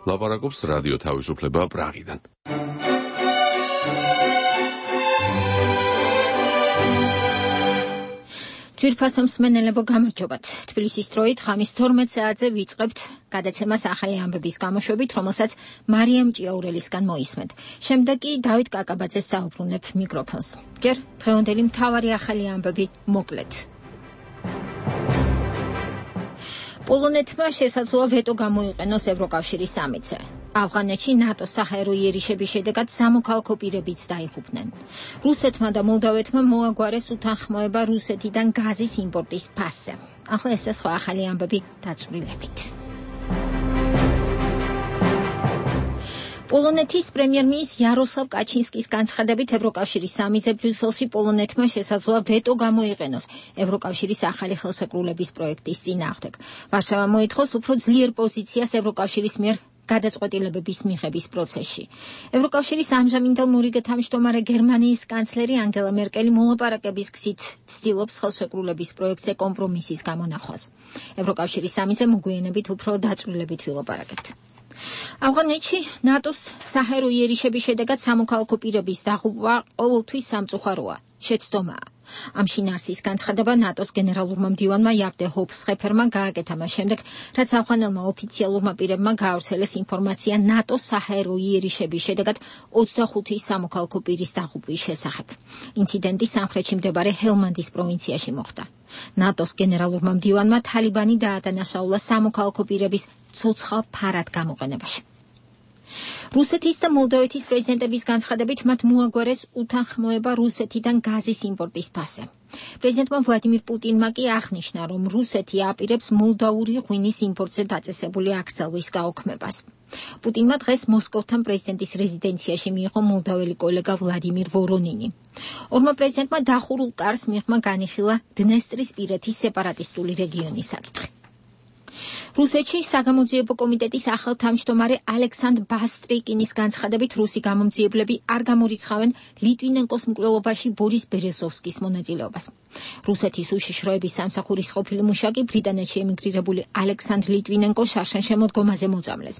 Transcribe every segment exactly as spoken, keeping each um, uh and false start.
ლაპარაკობს რადიო თავისუფლება პრაღიდან. ძვირფასო მსმენელებო, გამარჯობათ. თბილისის დროით ღამის თორმეტ საათზე ვიწყებთ გადაცემას ახალი ამბების გამოშვებით, რომელსაც მარიამ ჭიაურელისგან მოისმენთ. შემდეგ კი დავით კაკაბაძეს დაუბრუნებ მიკროფონს. ჯერ დღევანდელი მთავარი ახალი ამბები მოკლედ. პოლონეთმა შესაძლოა ვეტო გამოიყენოს ევროკავშირის სამიტზე. ავღანეთში ნატოს საჰაერო იერიშების შედეგად სამოქალაქო პირებიც დაიღუპნენ. რუსეთმა და მოლდავეთმა მოაგვარეს უთანხმოება რუსეთიდან გაზის იმპორტის ფასზე. ახლა ეს სხვა ახალი ამბები დაწვრილებით. პოლონეთის პრემიერ-მინისტრის იაროსლავ კაჩინსკის განცხადებით ევროკავშირის სამიტზე ბრიუსელში პოლონეთმა შესაძლოა ვეტო გამოიყენოს ევროკავშირის ახალი ხელშეკრულების პროექტის წინააღმდეგ. ვარშავა მოითხოვს უფრო ძლიერ პოზიციას ევროკავშირის მიერ გადაწყვეტილებების მიღების პროცესში. ევროკავშირის ამჟამინდელ თავმჯდომარე გერმანიის კანცლერი ანგელა მერკელი მოლაპარაკების გზით ცდილობს ხელშეკრულების პროექტზე კომპრომისის გამონახვას. ევროკავშირის სამიტზე მოგვიანებით უფრო დაწვრილებით ვილაპარაკებთ. ავღანეთში ნატოს საჰაერო იერიშების შედეგად სამოქალაქო პირების დაღუპვა ყოველთვის სამწუხაროა, შეცდომაა. ამ შინაარსის განცხადება ნატოს გენერალურმა მდივანმა იაპდე ჰოფსხეფერმა გააკეთა მას შემდეგ, რაც ავღანელმა ოფიციალურმა პირებმა გაავრცელეს ინფორმაცია ნატოს საჰაერო იერიშების შედეგად ოცდახუთი სამოქალაქო პირის დაღუპვის შესახებ. ინციდენტი სამხრეთში მდებარე ჰელმანდის პროვინციაში მოხდა. ნატოს გენერალურმა მდივანმა თალიბანი დაადანაშაულა სამოქალაქო პირების ცოცხალ ფარად გამოყენებაში. რუსეთის და მოლდოვეთის პრეზიდენტების განცხადებით მათ მოაგვარეს უთანხმოება რუსეთიდან გაზის იმპორტის ფასზე. პრეზიდენტმა ვლადიმირ პუტინმა კი აღნიშნა, რომ რუსეთი აპირებს მოლდავური ღვინის იმპორტზე დაწესებული აკრძალვის გაუქმებას. პუტინმა დღეს მოსკოვთან პრეზიდენტის რეზიდენციაში მიიღო მოლდაველი კოლეგა ვლადიმირ ვორონინი. ორმა პრეზიდენტმა დახურულ კარს მიღმა განიხილა დნესტრისპირეთის სეპარატისტული რეგიონის საკითხი. რუსეთში საგამოძიებო კომიტეტის ახალ თავმჯდომარე ალექსანდრ ბასტრიკინის განცხადებით რუსი გამომძიებლები არ გამორიცხავენ ლიტვინენკოს მკვლელობაში ბორის ბერეზოვსკის მონაწილეობას. რუსეთის უშიშროების სამსახურის ყოფილი მუშაკი ბრიტანეთში ემიგრირებული ალექსანდრ ლიტვინენკო შარშან-შემოდგომაზე მოწამლეს.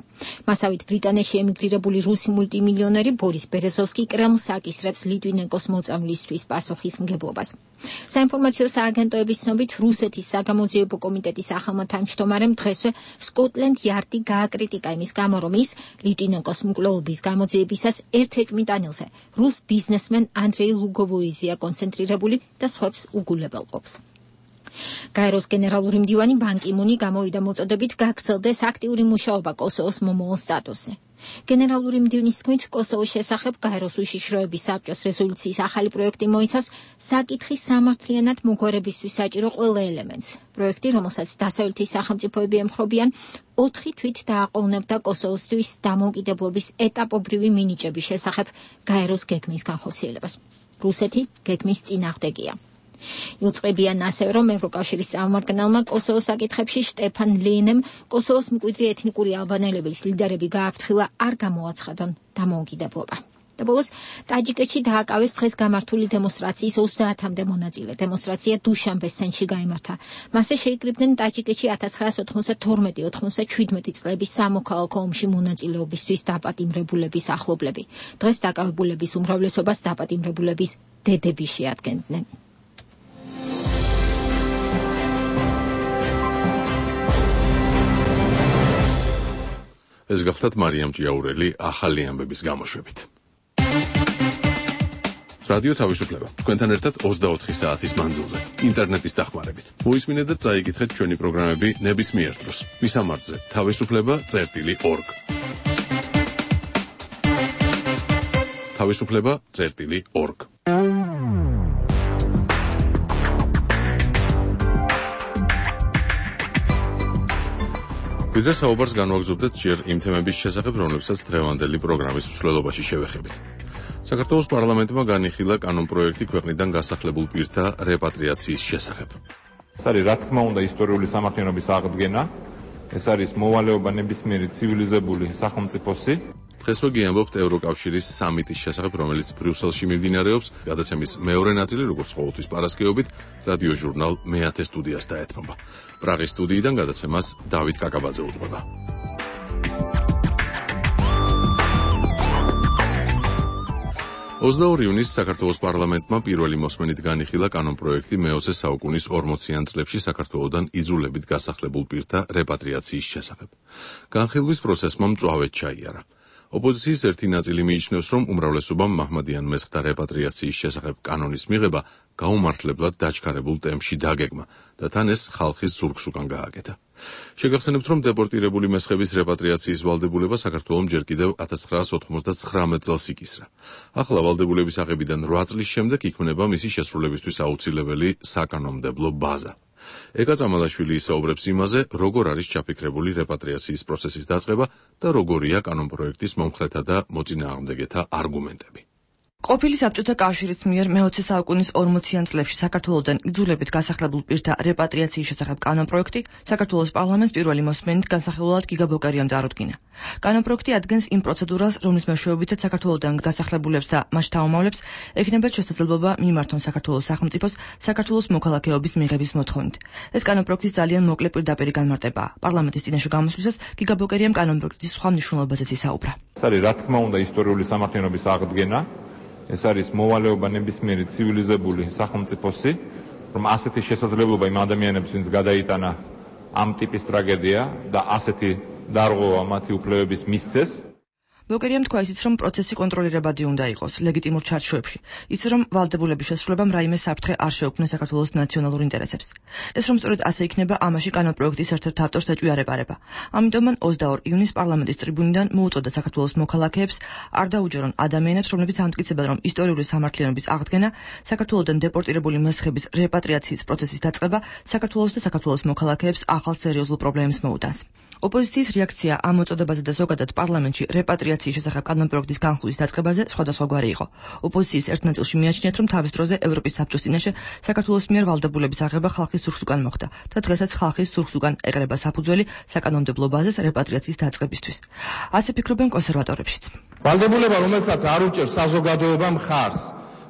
მასავით ბრიტანეთში ემიგრირებული რუსი მულტიმილიონერი ბორის ბერეზოვსკი კრემლს აკისრებს ლიტვინენკოს მოწამვლისთვის პასუხისმგებლობას. საინფორმაციო სააგენტოების ცნობით რუსეთის საგამოძიებო კომიტეტის ახალმა თავმჯდომარემ დღესვე სკოტლენდ იარდი გააკრიტიკა იმის გამო, რომ ის ლიტვინენკოს მკვლელობის გამოძიებისას ერთ-ერთ მიტანილზე რუს ბიზნესმენ ანდრეი ლუგოვოიზია კონცენტრირებული და სხვებს უგულებელყოფს. გაეროს გენერალური მდივანი ბან კი მუნი გამოვიდა მოწოდებით გაგრძელდეს აქტიური მუშაობა კოსოვოს მომავალ სტატუსზე. გენერალური მდივნის თქმით, კოსოვოს შესახებ გაეროს უშიშროების საბჭოს რეზოლუციის ახალი პროექტი მოიცავს საკითხის სამართლიანად მოგვარებისთვის საჭირო ყველა ელემენტს. პროექტი, რომელსაც დასავლეთის სახელმწიფოები ემხრობიან, ოთხი თვით დააყოვნებდა კოსოვოსთვის დამოუკიდებლობის ეტაპობრივი მინიჭების შესახებ გაეროს გეგმის განხორციელებას. რუსეთი გეგმის წინააღმდეგია. იუწყებიან ასევე, რომ ევროკავშირის წარმომადგენელმა კოსოვოს საკითხებში შტეფან ლენემ კოსოვოს მკვიდრი ეთნიკური ალბანელების ლიდერები გააფრთხილა არ გამოაცხადონ დამოუკიდებლობა. და ბოლოს ტაჯიკეთში დააკავეს დღეს გამართული დემონსტრაციის ოცდაათამდე მონაწილე. დემონსტრაცია დუშანბეს ცენტრში გაიმართა. მასზე შეიკრიბნენ ტაჯიკეთში ათას ცხრაასა ოთხმოცდათორმეტი ოთხმოცდაჩვიდმეტი წლების სამოქალაქო ომში მონაწილეობისთვის დაპატიმრებულების ახლობლები. დღეს დაკავებულების უმრავლესობას დაპატიმრებულების დედები შეადგენდნენ. ეს გახლდათ მარიამ ჭიაურელი ახალი ამბების გამოშვებით. რადიო თავისუფლება. თქვენთან ერთად ოცდაოთხი საათის მანძილზე, ინტერნეტის დახმარებით. მოისმინეთ და წაიკითხეთ ჩვენი პროგრამები ნებისმიერ დროს. მისამართზე თავისუფლება წერტილი ორგ. თავისუფლება წერტილი ორგ. ვიდრე საუბარს განვაგრძობდეთ ჯერ იმ თემების შესახებ, რომლებსაც დღევანდელი პროგრამის მსვლელობაში შევეხებით. საქართველოს პარლამენტმა განიხილა კანონპროექტი ქვეყნიდან გასახლებულ პირთა რეპატრიაციის შესახებ. ეს არის, რა თქმა უნდა, ისტორიული სამართლიანობის აღდგენა. ეს არის მოვალეობა ნებისმიერი ცივილიზებული სახელმწიფოსი. დღესვე გიამბობთ ევროკავშირის სამიტის შესახებ, რომელიც ბრიუსელში მიმდინარეობს. გადაცემის მეორე ნაწილი, როგორც ყოველთვის პარასკევობით, რადიო ჟურნალ მეათე სტუდიას დაეთმობა. პრაღის სტუდიიდან გადაცემას დავით კაკაბაძე უძღვება. ოცდაორი ივნისს საქართველოს პარლამენტმა პირველი მოსმენით განიხილა კანონპროექტი მეოცე საუკუნის ორმოციან წლებში საქართველოდან იძულებით გასახლებულ პირთა რეპატრიაციის შესახებ. განხილვის პროცესმა მწვავედ ჩაიარა. ოპოზიციის ერთი ნაწილი მიიჩნევს, რომ უმრავლესობამ მაჰმადიან მესხთა რეპატრიაციის შესახებ კანონის მიღება გაუმართლებლად დაჩქარებულ ტემპში დაგეგმა და თან ეს ხალხის ზურგს უკან გააკეთა. შეგახსენებთ, რომ დეპორტირებული მესხების რეპატრიაციის ვალდებულება საქართველოს ჯერ კიდევ ათას ცხრაას ოთხმოცდაცხრამეტ წელს იკისრა. ახლა ვალდებულების აღებიდან რვა წლის შემდეგ იქმნება მისი შესრულებისთვის აუცილებელი საკანონმდებლო ბაზა. ეკა წამალაშვილი ისაუბრებს იმაზე, როგორ არის ჩაფიქრებული რეპატრიაციის პროცესის დაწყება და როგორია კანონპროექტის მომხრეთა და მოწინააღმდეგეთა არგუმენტები. ყოფილი საბჭოთა კავშირის მიერ მეოცე საუკუნის ორმოციან წლებში საქართველოდან იძულებით გასახლებულ პირთა რეპატრიაციის შესახებ კანონპროექტი საქართველოს პარლამენტს პირველი მოსმენით განსახილველად გიგა ბოკერიამ წარუდგინა. კანონპროექტი ადგენს იმ პროცედურას, რომლის მეშვეობითაც საქართველოდან გასახლებულებს და მათ შთაომავლებს ექნებათ შესაძლებლობა მიმართონ საქართველოს სახელმწიფოს საქართველოს მოქალაქეობის მიღების მოთხოვნით. ეს კანონპროექტის ძალიან მოკლე პირდაპირი განმარტებაა. პარლამენტის წინაშე გამოსვლისას გიგა ბოკერიამ კანონპროექტის სხვა მნიშვნელობაზეც ისაუბრა. ეს არის რა თქმა უნდა ისტორიული სამართლიანობის აღდგენა. ეს არის მოვალეობა ნებისმიერი ცივილიზებული სახელმწიფოსი, რომ ასეთი შესაძლებლობა იმ ადამიანებს, ვინც გადაიტანა ამ ტიპის ტრაგედია და ასეთი დარღვევა მათი უფლებების მისცეს. ბოკერიამ თქვა ისიც, რომ პროცესი კონტროლირებადი უნდა იყოს ლეგიტიმურ ჩარჩოებში, ისე რომ ვალდებულების შესრულებამ რაიმე საფრთხე არ შეუქმნეს საქართველოს ნაციონალურ ინტერესებს. ეს რომ სწორედ ასე იქნება, ამაში კანონპროექტის ერთ-ერთ ავტორს ეჭვია რეპარება. ამიტომ მან ოცდაორ ივნისს პარლამენტის ტრიბუნიდან მოუწოდა საქართველოს მოქალაქეებს არ დაუჯერონ ადამიანებს, რომლებიც ამტკიცებენ, რომ ისტორიული სამართლიანობის აღდგენა, საქართველოდან დეპორტირებული მესხების რეპატრიაციის პროცესის დაწყება საქართველოს და საქართველოს მოქალაქეებს ახალ სერიოზულ პრობლემებს მოუდანს. ოპოზიციის რეაქცია ამ მოწოდებაზე და ზოგადად პარლამენტში რეპატრიაციის შესახებ კანონპროექტის განხილვის დაწყებაზე სხვადასხვაგვარი იყო. ოპოზიციის ერთ ნაწილში მიაჩნიათ, რომ თავის დროზე ევროპის საბჭოს წინაშე საქართველოს მიერ ვალდებულების აღება ხალხის ზურგს უკან მოხდა და დღესაც ხალხის ზურგს უკან ეყრება საფუძველი საკანონმდებლო ბაზას რეპატრიაციის დაწყებისთვის. ასე ფიქრობენ კონსერვატორებშიც. ვალდებულება, რომელსაც არ უჭერს საზოგადოება მხარს,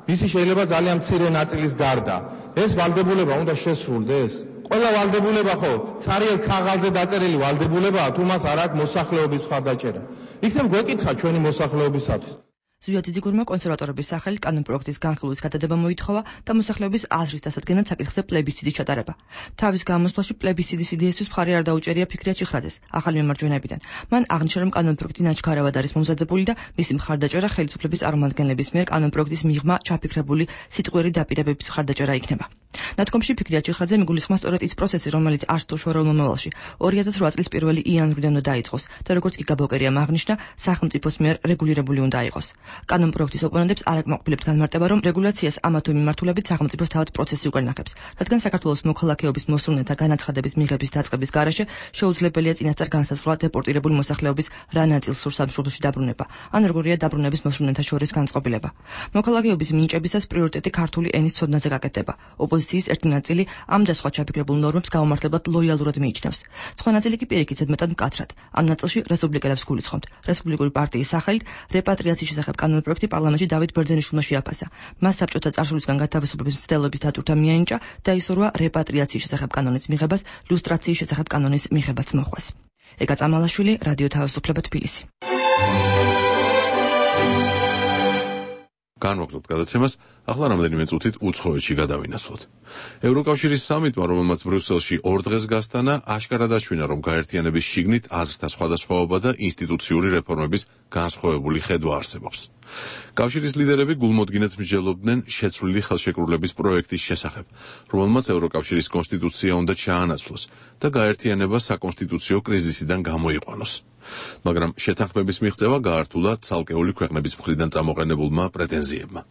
მისი შეიძლება ძალიან მცირე ნაწილის გარდა, ეს ვალდებულება უნდა შესრულდეს. ყველა ვალდებულება ხო ცარიელ ქაღალზე დაწერილი ვალდებულებაა, თუ მას არ აქვს მოსახლეობის მხარდაჭერა. იქნებ გვეკითხა ჩვენი მოსახლეობისათვის. ზვია ძიძიგურმა კონსერვატორების სახელით კანონპროექტის განხილვის გადადება მოითხოვა და მოსახლეობის აზრის დასადგენად საკითხზე პლებისციტის ჩატარება. თავის გამოსვლაში პლებისციტის იდეისთვის მხარი არ დაუჭერია ფიქრია ჩიხრაძეს, ახალი მემარჯვენეებიდან. მან აღნიშნა, რომ კანონპროექტი ნაჩქარავად არის მომზადებული და მისი მხარდაჭერა ხელისუფლების წარმომადგენლების მიერ კანონპროექტის მიღმა ჩაფიქრებული სიტყვიერი დაპირებების მხარდაჭერა იქნება. ნათქვამში ფიქრია ჩიხრაძე მიგულისხმავს სწორედ ის პროცესი, რომელიც არც თუ შორეულ მომავალში ორი ათას რვა წლის პირველი იანვრიდან უნდა დაიწყოს და როგორც გიგა ბოკერიამ აღნიშნა, სახელმწიფოს მიერ რეგულირებული უნდა იყოს. კანონპროექტის ოპონენტებს არ აკმაყოფილებთ განმარტება, რომ რეგულაციას ამა თუ იმ მიმართულებით სახელმწიფოს თავად პროცესი უკან ინახებს, რადგან საქართველოს მოქალაქეობის მოსურნეთა განაცხადების მიღების დაწყების გარეშე შეუძლებელია წინასწარ განსაზღვრა დეპორტირებული მოსახლეობის რა ნაწილს სურს სამშობლოში დაბრუნება, ან როგორია დაბრუნების მოსურნეთა შორის განწყობილება. მოქალაქეობის მინიჭებისას პრიორიტეტი ქართული ენის ცოდნაზე გაკეთდება. ოპოზიციის ერთი ნაწილი ამ და სხვა ჩაფიქრებულ ნორმებს გაუმართლებლად ლოიალურად მიიჩნევს. სხვა ნაწილი კი პირიქით ზედმეტად მკაცრად. ამ ნაწილში რესპუბლიკელებს გულისხმობთ. რესპუბლიკური პარტიის სახელით რეპატრიაციის შესახებ კანონპროექტი პარლამენტში დავით ბერძენიშვილმა შეაფასა. მას საბჭოთა წარსულისგან გათავისუფლების მცდელობის დატვირთვა მიენიჭა და ისურვა რეპატრიაციის შესახებ კანონის მიღებას, ლუსტრაციის შესახებ კანონის მიღებაც მოხვეს. ეკა წამალაშვილი, რადიო თავისუფლება, თბილისი. განვაგრძობთ გადაცემას, ახლა რამდენიმე წუთით უცხოეთში გადავინაცვლოთ. ევროკავშირის სამიტმა, რომელმაც ბრიუსელში ორ დღეს გასტანა, აშკარად აჩვენა, რომ გაერთიანების შიგნით აზრთა სხვადასხვაობა და ინსტიტუციური რეფორმების განსხვავებული ხედვა არსებობს. კავშირის ლიდერები გულმოდგინედ მსჯელობდნენ შეცვლილი ხელშეკრულების პროექტის შესახებ, რომელმაც ევროკავშირის კონსტიტუცია უნდა ჩაანაცვლოს და გაერთიანება საკონსტიტუციო კრიზისიდან გამოიყვანოს. მაგრამ შეთანხმების მიღწევა გაართულა ცალკეული ქვეყნების მხრიდან წამოყენებულმა პრეტენზიებმა.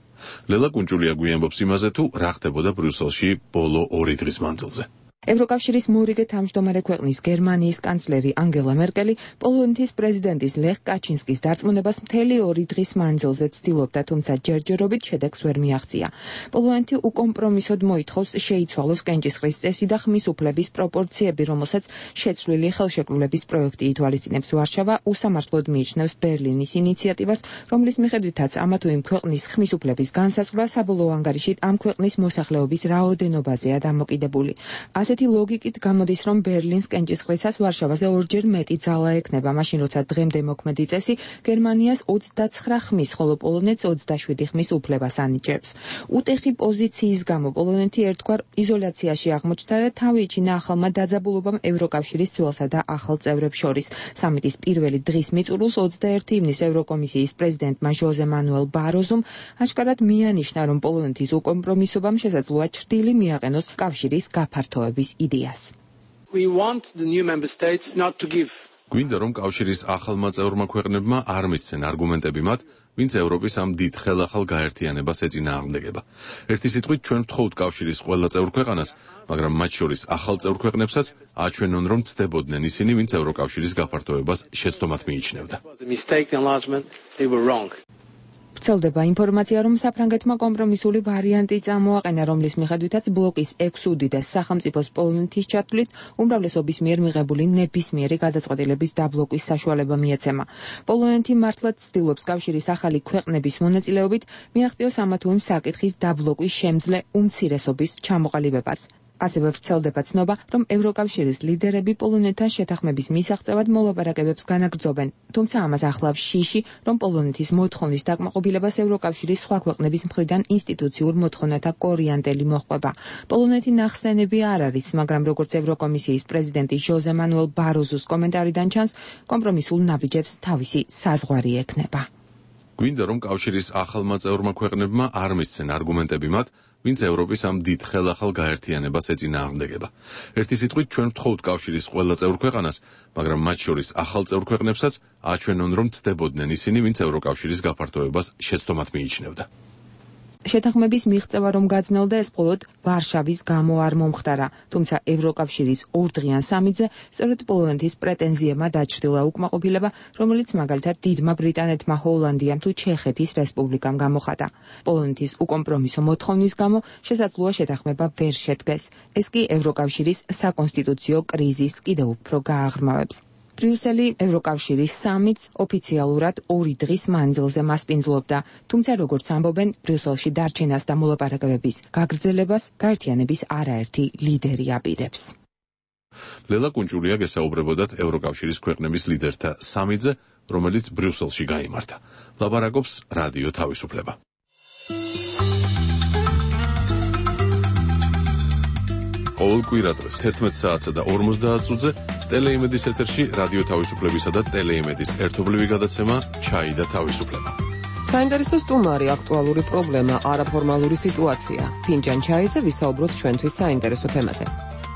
ლელა კუნჭულია გვიამბობს იმაზე, თუ რა ხდებოდა ბრიუსელში ბოლო ორი დღის მანძილზე. ევროკავშირის მორიგე თავმჯდომარე ქვეყნის გერმანიის კანცლერი ანგელა მერკელი პოლონეთის პრეზიდენტის ლეხ კაჩინსკის დარწმუნებას მთელი ორი დღის მანძილზე ცდილობდა, თუმცა ჯერჯერობით შედეგს ვერ მიაღწია. პოლონეთი უკომპრომისოდ მოითხოვს შეიცვალოს კენჭისყრის წესი და ხმის უფლების პროპორციები, რომელსაც შეცვლილი ხელშეკრულების პროექტი ითვალისწინებს. ვარშავა უსამართლოდ მიიჩნევს ბერლინის ინიციატივას, რომლის მიხედვითაც ამა თუ იმ ქვეყნის ხმის უფლების განსაზღვრა საბოლოო ანგარიშით ამ ქვეყნის მოსახლეობის რაოდენობაზეა დამოკიდებული. ასე ასეთი ლოგიკით გამოდის, რომ ბერლინს კენჭისყრისას ვარშავაზე ორჯერ მეტი ძალა ექნება, მაშინ როცა დღემდე მოქმედი წესი გერმანიას ოცდაცხრა ხმის, ხოლო პოლონეთს ოცდაშვიდი ხმის უფლებას ანიჭებს. უტეხი პოზიციის გამო პოლონეთი ერთგვარ იზოლაციაში აღმოჩნდა და თავი იჩინა ახალმა დაძაბულობამ ევროკავშირის ძველსა და ახალ წევრებს შორის. სამიტის პირველი დღის მიწურულს ოცდაერთი ივნის ევროკომისიის პრეზიდენტმა ჟოზე მანუელ ბაროზომ აშკარად მიანიშნა, რომ პოლონეთის უკომპრომისობამ შესაძლოა ჩრდილი მიაყენოს კავშირის გაფართოების იდეას. We want the new member states not to give. გვინდა, რომ კავშირის ახალმა წევრმა ქვეყნებმა არ მისცენ არგუმენტები მათ, ვინც ევროპის ამ დიდ ხელახალ გაერთიანებას ეწინააღმდეგება. ერთი სიტყვით, ჩვენ ვთხოვთ კავშირის ყველა წევრ ქვეყანას, მაგრამ მათ შორის ახალ წევრ ქვეყნებსაც აჩვენონ, რომ ცდებოდნენ ისინი, ვინც ევროკავშირის გაფართოებას შეცდომად მიიჩნევდა. ვრცელდება ინფორმაცია, რომ საფრანგეთმა კომპრომისული ვარიანტი წამოაყენა, რომლის მიხედვითაც ბლოკის ექვს უდიდეს სახელმწიფოს პოლონეთის ჩათვლით უმრავლესობის მიერ მიღებული ნებისმიერი გადაწყვეტილების დაბლოკვის საშუალება მიეცემა. პოლონეთი მართლაც ცდილობს კავშირის ახალი ქვეყნების მონაწილეობით მიაღწიოს ამა თუ იმ საკითხის დაბლოკვის შემძლე უმცირესობის ჩამოყალიბებას. ასევე ვრცელდება ცნობა, რომ ევროკავშირის ლიდერები პოლონეთთან შეთანხმების მისაღწევად მოლაპარაკებებს განაგრძობენ, თუმცა ამას ახლავს შიში, რომ პოლონეთის მოთხოვნის დაკმაყოფილებას ევროკავშირის სხვა ქვეყნების მხრიდან ინსტიტუციურ მოთხოვნათა კორიანტელი მოჰყვება. პოლონეთი ნახსენები არ არის, მაგრამ როგორც ევროკომისიის პრეზიდენტი ჟოზე მანუელ ბაროზოს კომენტარიდან ჩანს, კომპრომისულ ნაბიჯებს თავისი საზღვარი ექნება. გვინდა, რომ კავშირის ახალმა წევრმა ქვეყნებმა არ მისცენ არგუმენტები მათ, ვინც ევროპის ამ დიდ ხელახალ გაერთიანებას ეწინააღმდეგება. ერთი სიტყვით, ჩვენ ვთხოვთ კავშირის ყველა წევრ ქვეყანას, მაგრამ მათ შორის ახალ წევრ ქვეყნებსაც აჩვენონ, რომ ცდებოდნენ ისინი, ვინც ევროკავშირის გაფართოებას შეცდომად მიიჩნევდა. შეთანხმების მიღწევა რომ გაძნელდა, ეს მხოლოდ ვარშავის გამო არ მომხდარა, თუმცა ევროკავშირის ორდღიან სამიტზე სწორედ პოლონეთის პრეტენზიებმა დაჩრდილა უკმაყოფილება, რომელიც მაგალითად დიდმა ბრიტანეთმა, ჰოლანდიამ თუ ჩეხეთის რესპუბლიკამ გამოხატა. პოლონეთის უკომპრომისო მოთხოვნის გამო შესაძლოა შეთანხმება ვერ შედგეს. ეს კი ევროკავშირის საკონსტიტუციო კრიზისს კიდევ უფრო გააღრმავებს. ბრიუსელი ევროკავშირის სამიტს ოფიციალურად ორი დღის მანძილზე მასპინძლობდა, თუმცა როგორც ამბობენ, ბრიუსელში დარჩენას და მოლაპარაკებების გაგრძელებას გაერთიანების არაერთი ლიდერი აპირებს. ლელა კუნჭულია გესაუბრებოდათ ევროკავშირის ქვეყნების ლიდერთა სამიტზე, რომელიც ბრიუსელში გაიმართა. ლაპარაკობს რადიო თავისუფლება. ყოველ კვირადღეს თერთმეტ საათსა და ორმოცდაათ წუთზე ტელეიმედის ეთერში რადიო თავისუფლებისა და ტელეიმედის ერთობლივი გადაცემა ჩაი და თავისუფლება. საინტერესო სტუმარი, აქტუალური პრობლემა, არაფორმალური სიტუაცია. ფინჯან ჩაიზე ვისაუბროთ ჩვენთვის საინტერესო თემაზე.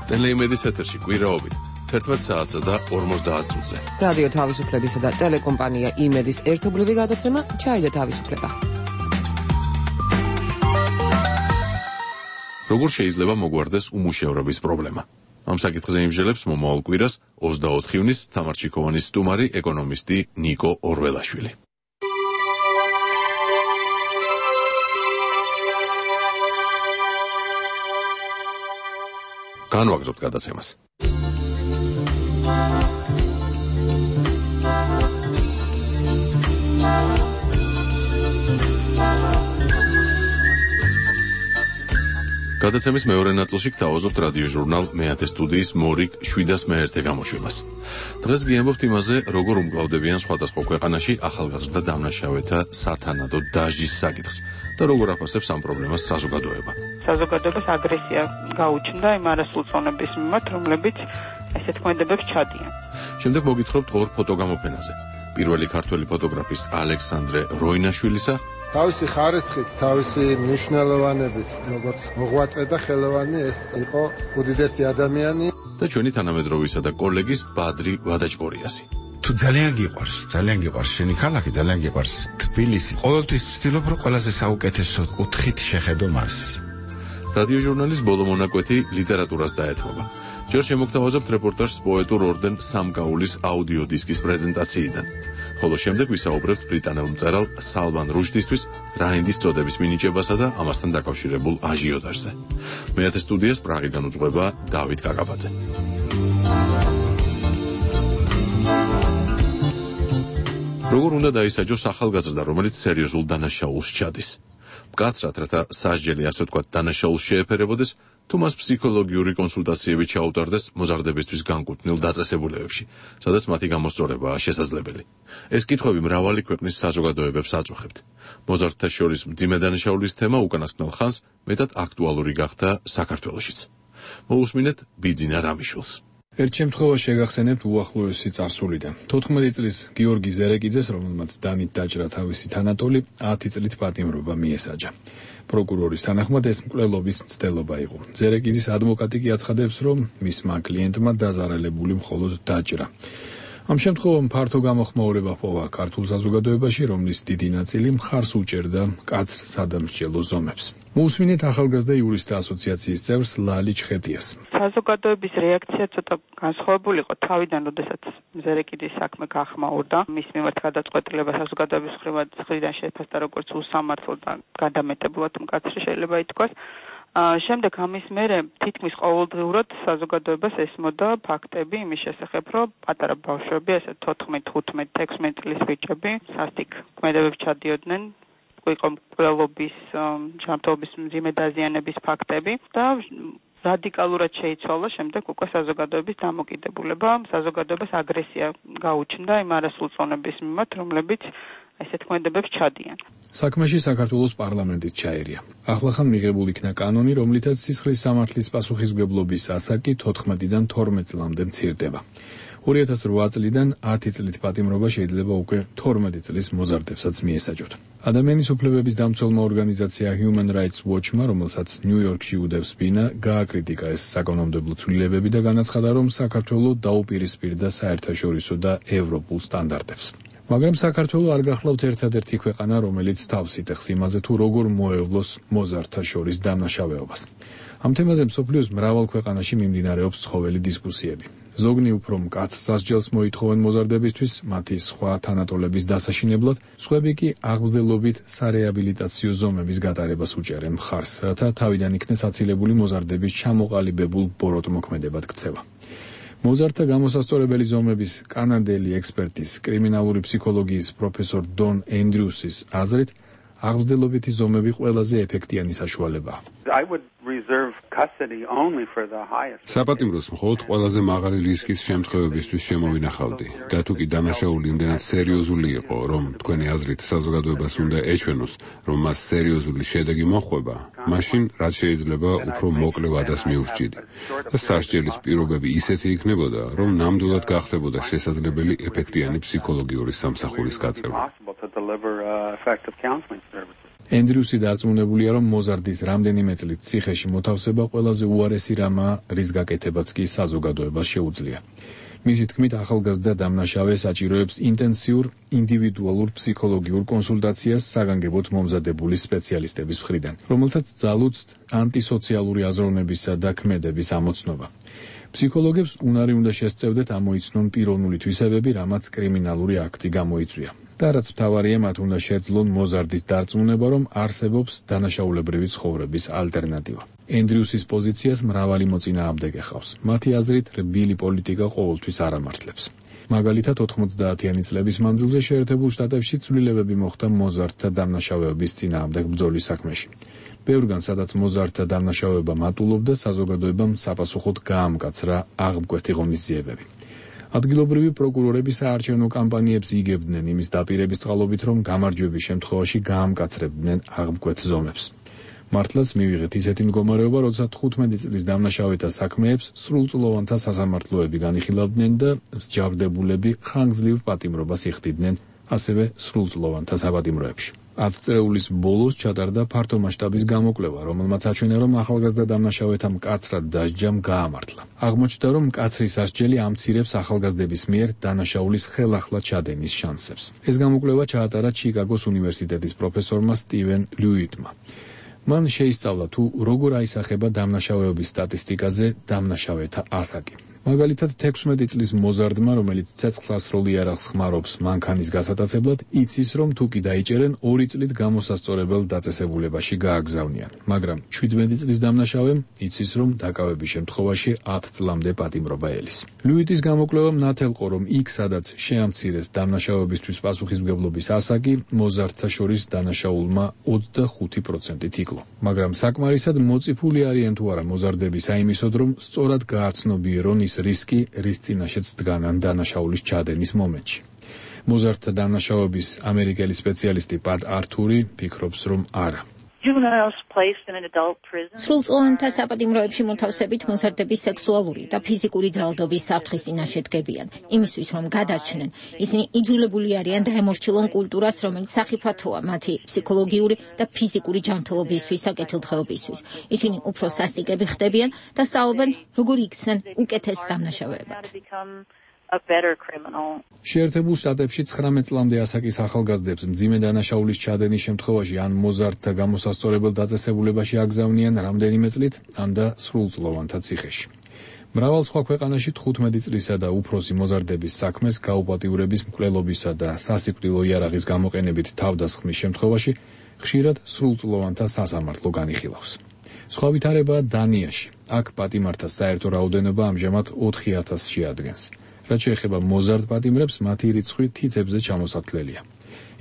ტელეიმედის ეთერში კვირაობით თერთმეტ საათსა და ორმოცდაათ წუთზე. რადიო თავისუფლებისა და ტელეკომპანია იმედის ერთობლივი გადაცემა ჩაი და თავისუფლება. როგორ შეიძლება მოგვარდეს უმუშევრობის პრობლემა? ამ საკითხზე იმჟელებს მომავალ კვირას ოცდაოთხ ივნის თამარჩიქოვანის სტუმარი ეკონომისტი ნიკო ორველაშვილი. განვაგრძობთ გადაცემას. გადაცემის მეორე ნაწილში გთავაზობთ რადიო ჟურნალ მეათე სტუდიის მორიგ შვიდას მეერთე გამოშვებას. დღეს გიამბობთ იმაზე, როგორ უმკლავდებიან სხვადასხვა ქვეყანაში ახალგაზრდა დამნაშავეთა სათანადო დასჯის საკითხს და როგორ აფასებს ამ პრობლემას საზოგადოება. საზოგადოებას აგრესია გაუჩნდა იმ არასრულწლოვნების მიმართ, რომლებიც ესეთ ქმედებებს ჩადიან. შემდეგ მოგითხრობთ ორ ფოტოგამოფენაზე. პირველი ქართველი ფოტოგრაფის ალექსანდრე როინაშვილისა, თავისი ხარისხით, თავისი მნიშვნელოვანებით, როგორც მოღვაწე და ხელოვანი, ეს იყო უდიდესი ადამიანი და ჩვენი თანამედროვისა და კოლეგის ბადრი ვადაჭკორიასი. თუ ძალიან გიყვარს, ძალიან გიყვარს შენი ქალაქი, ძალიან გიყვარს თბილისი. ყოველთვის ვცდილობ, რომ ყველაზე საუკეთესო კუთხით შეხედო მას. რადიო ჟურნალის ბოლო მონაკვეთი ლიტერატურას დაეთმობა. ჯერ შემოგთავაზებთ რეპორტაჟს პოეტურ ორდენ სამკაულის აუდიო დისკის პრეზენტაციიდან. ხოლო შემდეგ ვისაუბრებთ ბრიტანელ მწერალ სალვან რუშდისთვის რაინდის წოდების მინიჭებასა და ამასთან დაკავშირებულ აჟიოტაჟზე. მეათე სტუდიას პრაღიდან უძღვება დავით კაკაბაძე. როგორ უნდა დაისაჯოს ახალგაზრდა, რომელიც სერიოზულ დანაშაულს ჩადის? მკაცრად, რათა სასჯელი ასე ვთქვათ დანაშაულს შეეფერებოდეს, თუ მას ფსიქოლოგიური კონსულტაციები ჩაუტარდეს მოზარდებისთვის განკუთვნილ დაწესებულებებში, სადაც მათი გამოსწორებაა შესაძლებელი. ეს კითხვები მრავალი ქვეყნის საზოგადოებებს აწუხებთ. მოზარდთა შორის მძიმე დანაშაულის თემა უკანასკნელ ხანს მეტად აქტუალური გახდა საქართველოშიც. მოусმინეთ ბიძინა რამიშვილს. ერთ შემთხვევაში შეგახსენებთ უახლოესი წარსულიდან. თოთხმეტი წლის გიორგი ზერეკიძეს, რომელმაც დანით დაჭრა თავისი თანატოლი, ათი წლით პატიმრობა მიესაჯა. პროკურორის თანახმად ეს მკვლელობის მცდელობა იყო. ზერეკიძის ადვოკატი კი აცხადებს, რომ მისმა კლიენტმა დაზარალებული მხოლოდ დაჭრა. ამ შემთხვევამ ფართო გამოხმაურება ჰპოვა ქართულ საზოგადოებაში, რომლის დიდი ნაწილი მხარს უჭერდა მკაცრ სადამსჯელო ზომებს. მოусმინეთ ახალგაზრდა იურისტთა ასოციაციის წევრს ლალი ჩხეტიას. საზოგადოების რეაქცია ცოტა განსხვავებული იყო თავიდან, როდესაც ზერეკიძის საქმე გახმაურდა. მის მიმართ გადაწყვეტილება საზოგადოების მხრიდან შეფასდა როგორც უსამართლო და გადამეტებულად მკაცრი შეიძლება ითქვას. შემდეგ ამის მერე თითქმის ყოველდღიურად საზოგადოებას ესმოდა ფაქტები იმის შესახებ, რომ პატარა ბავშვები, ესე თოთხმეტი, თხუთმეტი, ექვსმეტი წლის ბიჭები სასტიკ ქმედებებში ჩადიოდნენ, იყო მკვლელობის, ჯანმრთელობის მძიმე დაზიანების ფაქტები და რადიკალურად შეიცვალა შემდეგ უკვე საზოგადოების დამოკიდებულება, საზოგადოებას აგრესია გაუჩნდა იმ არასრულწლოვნების მიმართ, რომლებიც ესეთ ქმედებებს ჩადიან. საქმეში საქართველოს პარლამენტიც ჩაერია. ახლახან მიღებულ იქნა კანონი, რომლითაც სისხლის სამართლის პასუხისმგებლობის ასაკი თოთხმეტიდან თორმეტ წლამდე მცირდება. ორი ათას რვა წლიდან ათი წლით პატიმრობა შეიძლება უკვე თორმეტი წლის მოზარდებსაც მიესაჯოთ. ადამიანის უფლებების დამცველმა ორგანიზაცია Human Rights Watch-მა, რომელსაც ნიუ-იორკში უდევს ბინა, გააკრიტიკა ეს საკანონმდებლო ცვლილებები და განაცხადა, რომ საქართველო დაუპირისპირდა საერთაშორისო და ევროპულ სტანდარტებს. მაგრამ საქართველო არ გახლავთ ერთადერთი ქვეყანა, რომელიც თავს იტეხს იმაზე, თუ როგორ მოევლოს მოზარდთა შორის დამნაშავეობას. ამ თემაზე მსოფლიოს მრავალ ქვეყანაში მიმდინარეობს ცხოველი დისკუსიები. ზოგნი უფრო მკაცრ სასჯელს მოითხოვენ მოზარდებისთვის, მათი სხვა თანატოლების დასაშინებლად, სხვები კი აღმზრდელობით სარეაბილიტაციო ზომების გატარებას უჭერენ მხარს, რათა თავიდან იქნეს აცილებული მოზარდების ჩამოყალიბებულ ბოროტმოქმედებად ქცევა. მოზარდთა გამოსასწორებელი ზომების კანადელი ექსპერტის, კრიმინალური ფსიქოლოგიის პროფესორ დონ ენდრიუსის აზრით, აღმზრდელობითი ზომები ყველაზე ეფექტიანი საშუალებაა. საპატიმროს მხოლოდ ყველაზე მაღალი რისკის შემთხვევებისთვის შემოვინახავდი და თუ კი დანაშაული იმდენად სერიოზული იყო, რომ თქვენი აზრით საზოგადოებას უნდა ეჩვენოს, რომ მას სერიოზული შედეგი მოჰყვება, მაშინ რაც შეიძლება უფრო მოკლე ვადას მიუსჭიდი და სასჯელის პირობები ისეთი იქნებოდა, რომ ნამდვილად გახდებოდა შესაძლებელი ეფექტიანი ფსიქოლოგიური სამსახურის გაწევა. ენდრიუსი დარწმუნებულია, რომ მოზარდის რამდენიმე წლით ციხეში მოთავსება ყველაზე უარესი რამაა, რის გაკეთებაც კი საზოგადოებას შეუძლია. მისი თქმით, ახალგაზრდა დამნაშავე საჭიროებს ინტენსიურ ინდივიდუალურ ფსიქოლოგიურ კონსულტაციას საგანგებოდ მომზადებული სპეციალისტების მხრიდან, რომელთაც ძალუძს ანტისოციალური აზროვნებისა და ქმედების ამოცნობა. ფსიქოლოგებს უნარი უნდა შესწევდეთ ამოიცნონ პიროვნული თვისებები, რამაც კრიმინალური აქტი გამოიწვია. და რაც მთავარია, მათ უნდა შეძლონ მოზარდის დარწმუნება, რომ არსებობს დანაშაულებრივი ცხოვრების ალტერნატივა. ენდრიუსის პოზიციას მრავალი მოწინააღმდეგე ჰყავს. მათი აზრით, რბილი პოლიტიკა ყოველთვის არ ამართლებს. მაგალითად, ოთხმოცდაათიანი წლების მანძილზე შეერთებულ შტატებში ცვლილებები მოხდა მოზარდთა დამნაშავეობის წინააღმდეგ ბრძოლის საქმეში. ბევრგან, სადაც მოზარდთა დამნაშავეობა მატულობდა, საზოგადოებამ საპასუხოდ გაამკაცრა აღმკვეთი ღონისძიებები. ადგილობრივი პროკურორები საარჩევნო კამპანიებს იგებდნენ იმის დაპირების წყალობით, რომ გამარჯვების შემთხვევაში გაამკაცრებდნენ აღმკვეთ ზომებს. მართლაც მივიღეთ ისეთი მდგომარეობა, როცა თხუთმეტი წლის დამნაშავეთა საქმეებს სრულწლოვანთა სასამართლოები განიხილავდნენ და მსჯავრდებულები ხანგრძლივ პატიმრობას იხდიდნენ, ასევე სრულწლოვანთა საპატიმროებში. ათ წრეულის ბოლოს ჩატარდა ფართო მასშტაბის გამოკვლევა, რომელმაც აჩვენა, რომ ახალგაზრდა დამნაშავეთა მკაცრად დასჯამ გაამართლა. აღმოჩნდა, რომ მკაცრი სასჯელი ამცირებს ახალგაზრდების მიერ დანაშაულის ხელახლა ჩადენის შანსებს. ეს გამოკვლევა ჩაატარა ჩიკაგოს უნივერსიტეტის პროფესორმა სტივენ ლიუიტმა. მან შეისწავლა, თუ როგორ აისახება დამნაშავეობის სტატისტიკაზე დამნაშავეთა ასაკი. მაგალითად თექვსმეტი წლის მოზარდმა, რომელიც ცეცხლსასროლი იარაღს ხმარობს მანქანის გასატაცებლად, იცის, რომ თუ კი დაიჭერენ, ორი წლით გამოსასწორებელ დაწესებულებაში გააგზავნიან. მაგრამ შვიდმეტი წლის დამნაშავემ იცის, რომ დაკავების შემთხვევაში ათ წლამდე პატიმრობა ელის. ლუიტის გამოკვლევამ ნათელყო, რომ იქ, სადაც შეამცირეს დამნაშავებისთვის პასუხისმგებლობის ასაკი, მოზარდთა შორის დანაშაულმა ოცდახუთი პროცენტით იკლო. მაგრამ საკმარისად მოწიფული არიან თუ არა მოზარდები საიმისოდ, რომ სწორად გააცნობიერონ ის რისკი, რის წინაშეც დგანან დანაშაულის ჩადენის მომენტში. მოზარდთა დანაშაუების ამერიკელი სპეციალისტი პატ ართური ფიქრობს, რომ არა. სრულწლოვანთა საპატიმროებში მოთავსებით მოზარდების სექსუალური და ფიზიკური ძალადობის საფრთხის წინაშე დგებიან. იმისთვის, რომ გადარჩნენ, ისინი იძულებული არიან დაემორჩილონ კულტურას, რომელიც სახიფათოა მათი ფსიქოლოგიური და ფიზიკური ჯანმრთელობისთვის და კეთილდღეობისთვის. ისინი უფრო სასტიკები ხდებიან და სწავლობენ, როგორ იქცნენ უკეთეს დამნაშავეებად. შეერთებულ შტატებში ცხრამეტ წლამდე ასაკის ახალგაზრდებს მძიმე დანაშაულის ჩადენის შემთხვევაში ან მოზარდთა გამოსასწორებელ დაწესებულებაში აგზავნიან რამდენიმე წლით, ან და სრულწლოვანთა ციხეში. მრავალ სხვა ქვეყანაში თხუთმეტი წლისა და უფროსი მოზარდების საქმეს გაუპატიურების, მკვლელობისა და სასიკვდილო იარაღის გამოყენებით თავდასხმის შემთხვევაში ხშირად სრულწლოვანთა სასამართლო განიხილავს. სხვა ვითარებაა დანიაში. აქ პატიმართა საერთო რაოდენობა ამჟამად ოთხი ათასში ადგენს. რაც შეეხება მოზარდ პატიმრებს, მათი რიცხვი თითებზე ჩამოსათვლელია.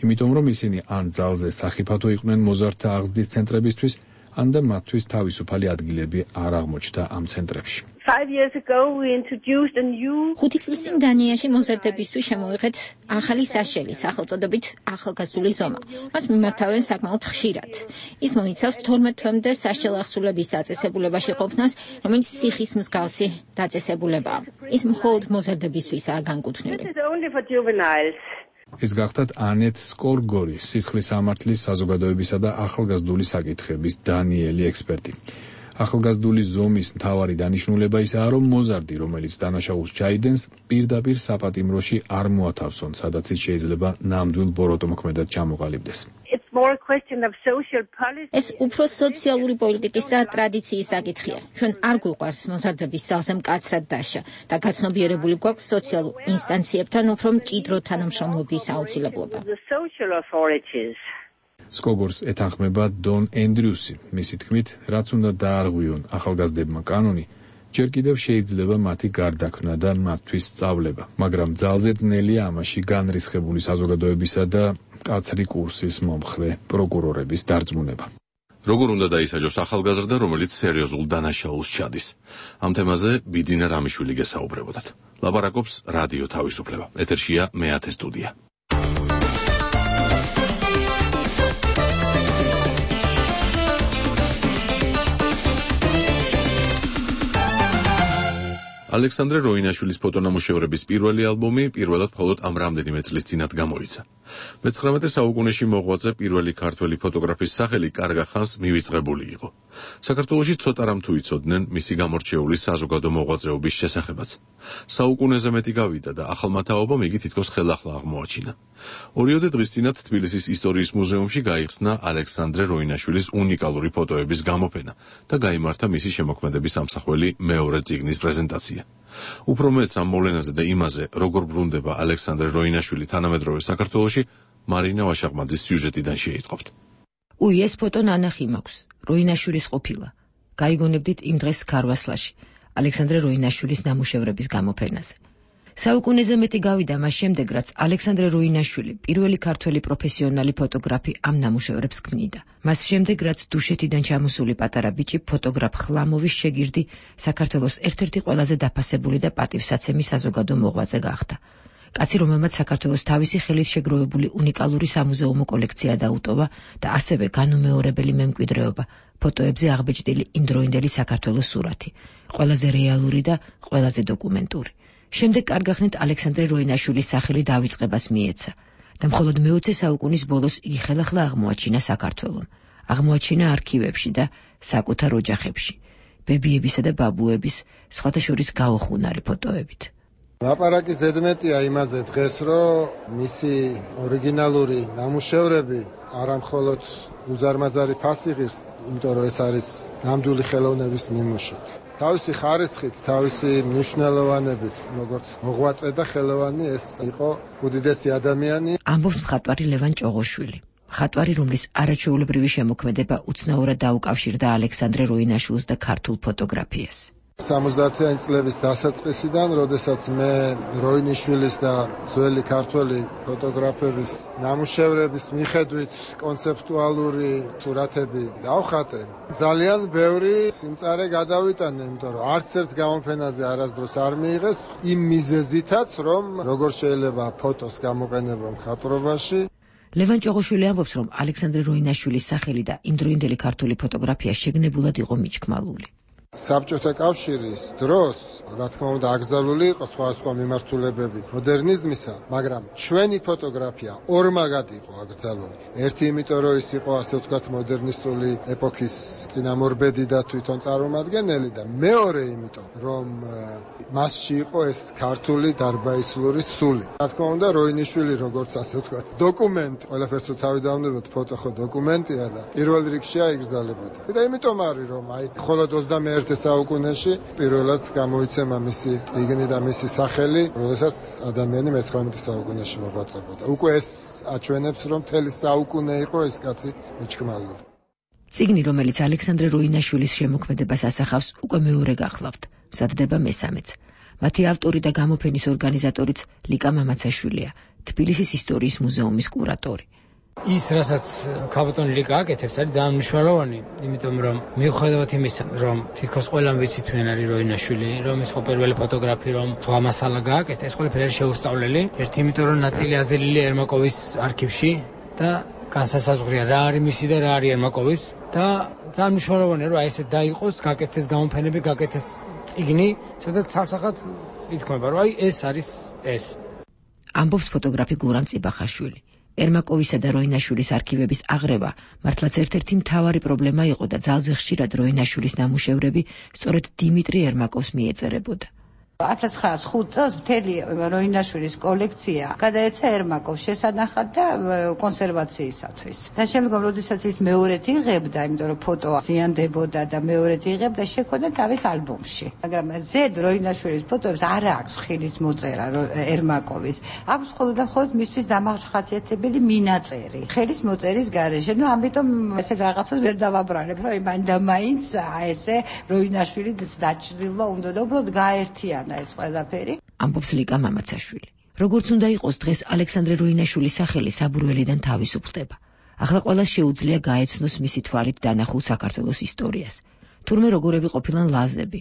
იმიტომ რომ ისინი ან ძალზე სახიფათო იყვნენ მოზარდთა აღზრდის ცენტრებისთვის, ან და მათთვის თავისუფალი ადგილები არ აღმოჩნდა ამ ცენტრებში. ხუთი წლის წინ დანიაში მოზარდებისთვის შემოვიღეთ ახალი საშელი, სახელწოდებით ახალგაზრდული ზომა. მას მიმართავენ საკმაოდ ხშირად. ის მოიცავს თორმეტ თვემდე სასჯელ ახსულების დაწესებულებაში ყოფნას, რომელიც სიხის მსგავსი დაწესებულებაა. ის მხოლოდ მოზარდებისთვისაა განკუთვნილი. ეს გახდათ ანეტ სკორგორი, სისხლის სამართლის, საზოგადოებისა და ახალგაზრდული საკითხების დანიელი ექსპერტი. ახალგაზრდული ზომის მთავარი დანიშნულება ისაა, რომ მოზარდი, რომელიც დანაშაულს ჩაიდენს, პირდაპირ საპატიმროში არ მოათავსონ, სადაც ის შეიძლება ნამდვილ ბოროტმოქმედად ჩამოყალიბდეს. ეს უფრო სოციალური პოლიტიკის და ტრადიციის საკითხია. ჩვენ არ გვიყვარს მოზარდების ძალზე მკაცრად დაშა და გაცნობიერებული გვაქვს სოციალურ ინსტანციებთან უფრო მჭიდრო თანამშრომლობის აუცილებლობა. სკოგორს ეთანხმება დონ ენდრიუსი. მისი თქმით, რაც უნდა დაარღვიონ ახალგაზრდებმა კანონი, ჯერ კიდევ შეიძლება მათი გარდაქმნა და მათთვის სწავლება, მაგრამ ძალზე ძნელია ამაში განრისხებული საზოგადოებისა და მკაცრი კურსის მომხრე პროკურორების დარწმუნება. როგორ უნდა დაისაჯოს ახალგაზრდა, რომელიც სერიოზულ დანაშაულს ჩადის? ამ თემაზე ბიძინა რამიშვილი გესაუბრებოდათ. ლაპარაკობს რადიო თავისუფლება. ეთერშია მეათე სტუდია. ალექსანდრე როინაშვილის ფოტონამუშევრების პირველი ალბომი პირველად მხოლოდ ამ რამდენიმე წლის წინათ გამოიცა. მეცხრამეტე საუკუნეში მოღვაწე პირველი ქართველი ფოტოგრაფის სახელი კარგ ხანს მივიწყებული იყო. საქართველოში ცოტა რამ თუ იცოდნენ მისი გამორჩეული საზოგადო მოღვაწეობის შესახებაც. საუკუნეზე მეტი გავიდა და ახალმა თაობამ იგი თითქოს ხელახლა აღმოაჩინა. ორიოდე დღის წინათ თბილისის ისტორიის მუზეუმში გაიხსნა ალექსანდრე როინაშვილის უნიკალური ფოტოების გამოფენა და გაიმართა მისი შემოქმედების ამსახველი მეორე წიგნის პრეზენტაცია. უფრო მეც ამ მოვლენაზე და იმაზე, როგორ ბრუნდება ალექსანდრე როინაშვილი თანამედროვე საქართველოში, მარინა ვაშაყმაძის სიუჟეტიდან შეიტყობთ. უი, ეს ფოტო ნანახი მაქვს. როინაშვილის ყოფილა. გაიგონებდით იმ დღეს ქარვასლაში, ალექსანდრე როინაშვილის ნამუშევრების გამოფენაზე. საუკუნეზე მეტი გავიდა მას შემდეგ, რაც ალექსანდრე როინაშვილი, პირველი ქართველი პროფესიონალი ფოტოგრაფი ამ ნამუშევრებს ქმნიდა. მას შემდეგ, რაც დუშეთიდან ჩამოსული პატარა ბიჭი, ფოტოგრაფ ხლამოვის შეგირდი, საქართველოს ერთ-ერთი ყველაზე დაფასებული და პატივსაცემი საზოგადო მოღვაწე გახდა. კაცი, რომელმაც საქართველოს თავისი ხელით შეგროვებული უნიკალური სამუზეუმო კოლექცია დაუტოვა და ასევე განუმეორებელი მემკვიდრეობა, ფოტოებზე აღბეჭდილი იმდროინდელი საქართველოს სურათი, ყველაზე რეალური და ყველაზე დოკუმენტური. შემდეგ კარგახნით ალექსანდრე როინაშვილის სახელი დავიწყებას მიეცა და მხოლოდ მეოცე საუკუნის ბოლოს იგი ხელახლა აღმოაჩინა საქართველომ. აღმოაჩინა არქივებში და საკუთარ ოჯახებში, ბებიებისა და ბაბუების, სხვათა შორის გაოხუნარი ფოტოებით. ლაპარაკი ზედმეტია იმაზე დღეს, რომ მისი ორიგინალური ნამუშევრები არა მხოლოდ უზარმაზარი ფასი ღირს, იმიტომ რომ ეს არის ნამდვილი ხელოვნების ნიმუში. თავისი ხარისხით, თავისი მნიშვნელოვანებით, როგორც მოღვაწე და ხელოვანი ეს იყო უდიდესი ადამიანი. ამბობს მხატვარი ლევან ჭოღოშვილი. მხატვარი, რომლის არაჩვეულებრივი შემოქმედება უცნაურად დაუკავშირდა ალექსანდრე როინაშვილს და ქართულ ფოტოგრაფიას. სამოცდაათიანი წლების დასაწყისიდან, როდესაც მე როინიშვილის და ძველი ქართველი ფოტოგრაფების ნამუშევრების მიხედვით კონცეპტუალური სურათები დავხატე, ძალიან ბევრი სიმწარე გადავიტანე, იმიტომ რომ არც ერთ გამოფენაზე არასდროს არ მიიღეს იმ მიზეზითაც, რომ როგორ შეიძლება ფოტოს გამოყენება მხატვრობაში. ლევან ჭოღოშვილი ამბობს, რომ ალექსანდრე როინაშვილის სახელი და იმდროინდელი ქართული ფოტოგრაფია შეგნებულად იყო მიჩქმალული. საბჭოთა კავშირის დროს, რა თქმა უნდა, აკრძალული იყო სხვადასხვა მიმართულებები მოდერნიზმისა, მაგრამ ჩვენი ფოტოგრაფია ორმაგად იყო აკრძალული. ერთი იმიტომ, რომ ის იყო, ასე ვთქვათ, მოდერნისტული ეპოქის წინამორბედი და თვითონ წარმომადგენელი და მეორე იმიტომ, რომ მასში იყო ეს ქართული დარბაისლური სული. რა თქმა უნდა, როინიშვილი, როგორც ასე ვთქვათ, დოკუმენტი, ყველაფერს თუ თავი დავნებოთ, ფოტო ხო დოკუმენტია და პირველ რიგში აიგრძალებოდა. და იმიტომ არის, რომ აი მხოლოდ ოცდამეერთე საუკუნეში პირველად გამოიცემა მისი წიგნი და მისი სახელი, როდესაც ადამიანი მეცხრამეტე საუკუნეში მოღვაწებოდა. უკვე ეს აჩვენებს, რომ მთელი საუკუნე იყო ეს კაცი მიჩქმალული. წიგნი, რომელიც ალექსანდრე როინაშვილის შემოქმედებას ასახავს, უკვე მეორე გახლავთ. მზადდება მესამეც. მათი ავტორი და გამოფენის ორგანიზატორიც ლიკა მამაცაშვილია, თბილისის ისტორიის მუზეუმის კურატორი. ის, რასაც ქაბატონი ლიკა აკეთებს, არის ძალიან მნიშვნელოვანი, იმიტომ რომ მიუხედავად იმისა, რომ თითქოს ყველამ ვიცით ვინ არის როინაშვილი, რომ ის ხო პირველი ფოტოგრაფი, რომ სხვა მასალა გააკეთა, ეს ყველაფერი არის შეუსწავლელი. ერთი, იმიტომ რომ ნაწილი აზრილია ერმაკოვის არქივში და განსასაზღვრია რა არის მისი და რა არის ერმაკოვის და ძალიან მნიშვნელოვანია, რომ აი ესე დაიყოს, გაკეთდეს გამოფენები, გაკეთდეს წიგნი, სადაც ცალსახად ითქმება, რომ აი ეს არის ეს. ამბობს ფოტოგრაფი გურამ წიბახაშვილი. ერმაკოვისა და როინაშვილის არქივების აღრევა მართლაც ერთ-ერთი მთავარი პრობლემა იყო და ძალზე ხშირად როინაშვილის ნამუშევრები სწორედ დიმიტრი ერმაკოვს მიეწერებოდა. ათას ცხრაას ხუთ წელს მთელი როინაშვილის კოლექცია გადაეცა ერმაკოვს შესანახად და კონსერვაციისათვის. და შემდგომ, როდესაც ის მეორედ იღებდა, იმიტომ რომ ფოტო ზიანდებოდა და მეორედ იღებდა, შექმნა თავის ალბომში. მაგრამ ზედ როინაშვილის ფოტოებს არ აქვს ხილის მოწერა ერმაკოვის. აქვს მხოლოდ და მხოლოდ მისთვის დამახასიათებელი მინაწერი. ხელის მოწერის გარეშე. ნუ ამიტომ ესეთ რაღაცას ვერ დავაბრალებ, რომ იმან და მაინც ესე როინაშვილის დაჭრილვა უნდა და უბრალოდ გაერთიანა ეს ყველაფერი. ამბობს ლიკა მამაცაშვილი. როგორც უნდა იყოს, დღეს ალექსანდრე როინაშვილის სახელი საბურველიდან თავისუფლდება. ახლა ყველას შეუძლია გაეცნოს მისი თვალით დანახულ საქართველოს ისტორიას. თურმე როგორები ყოფილან ლაზები,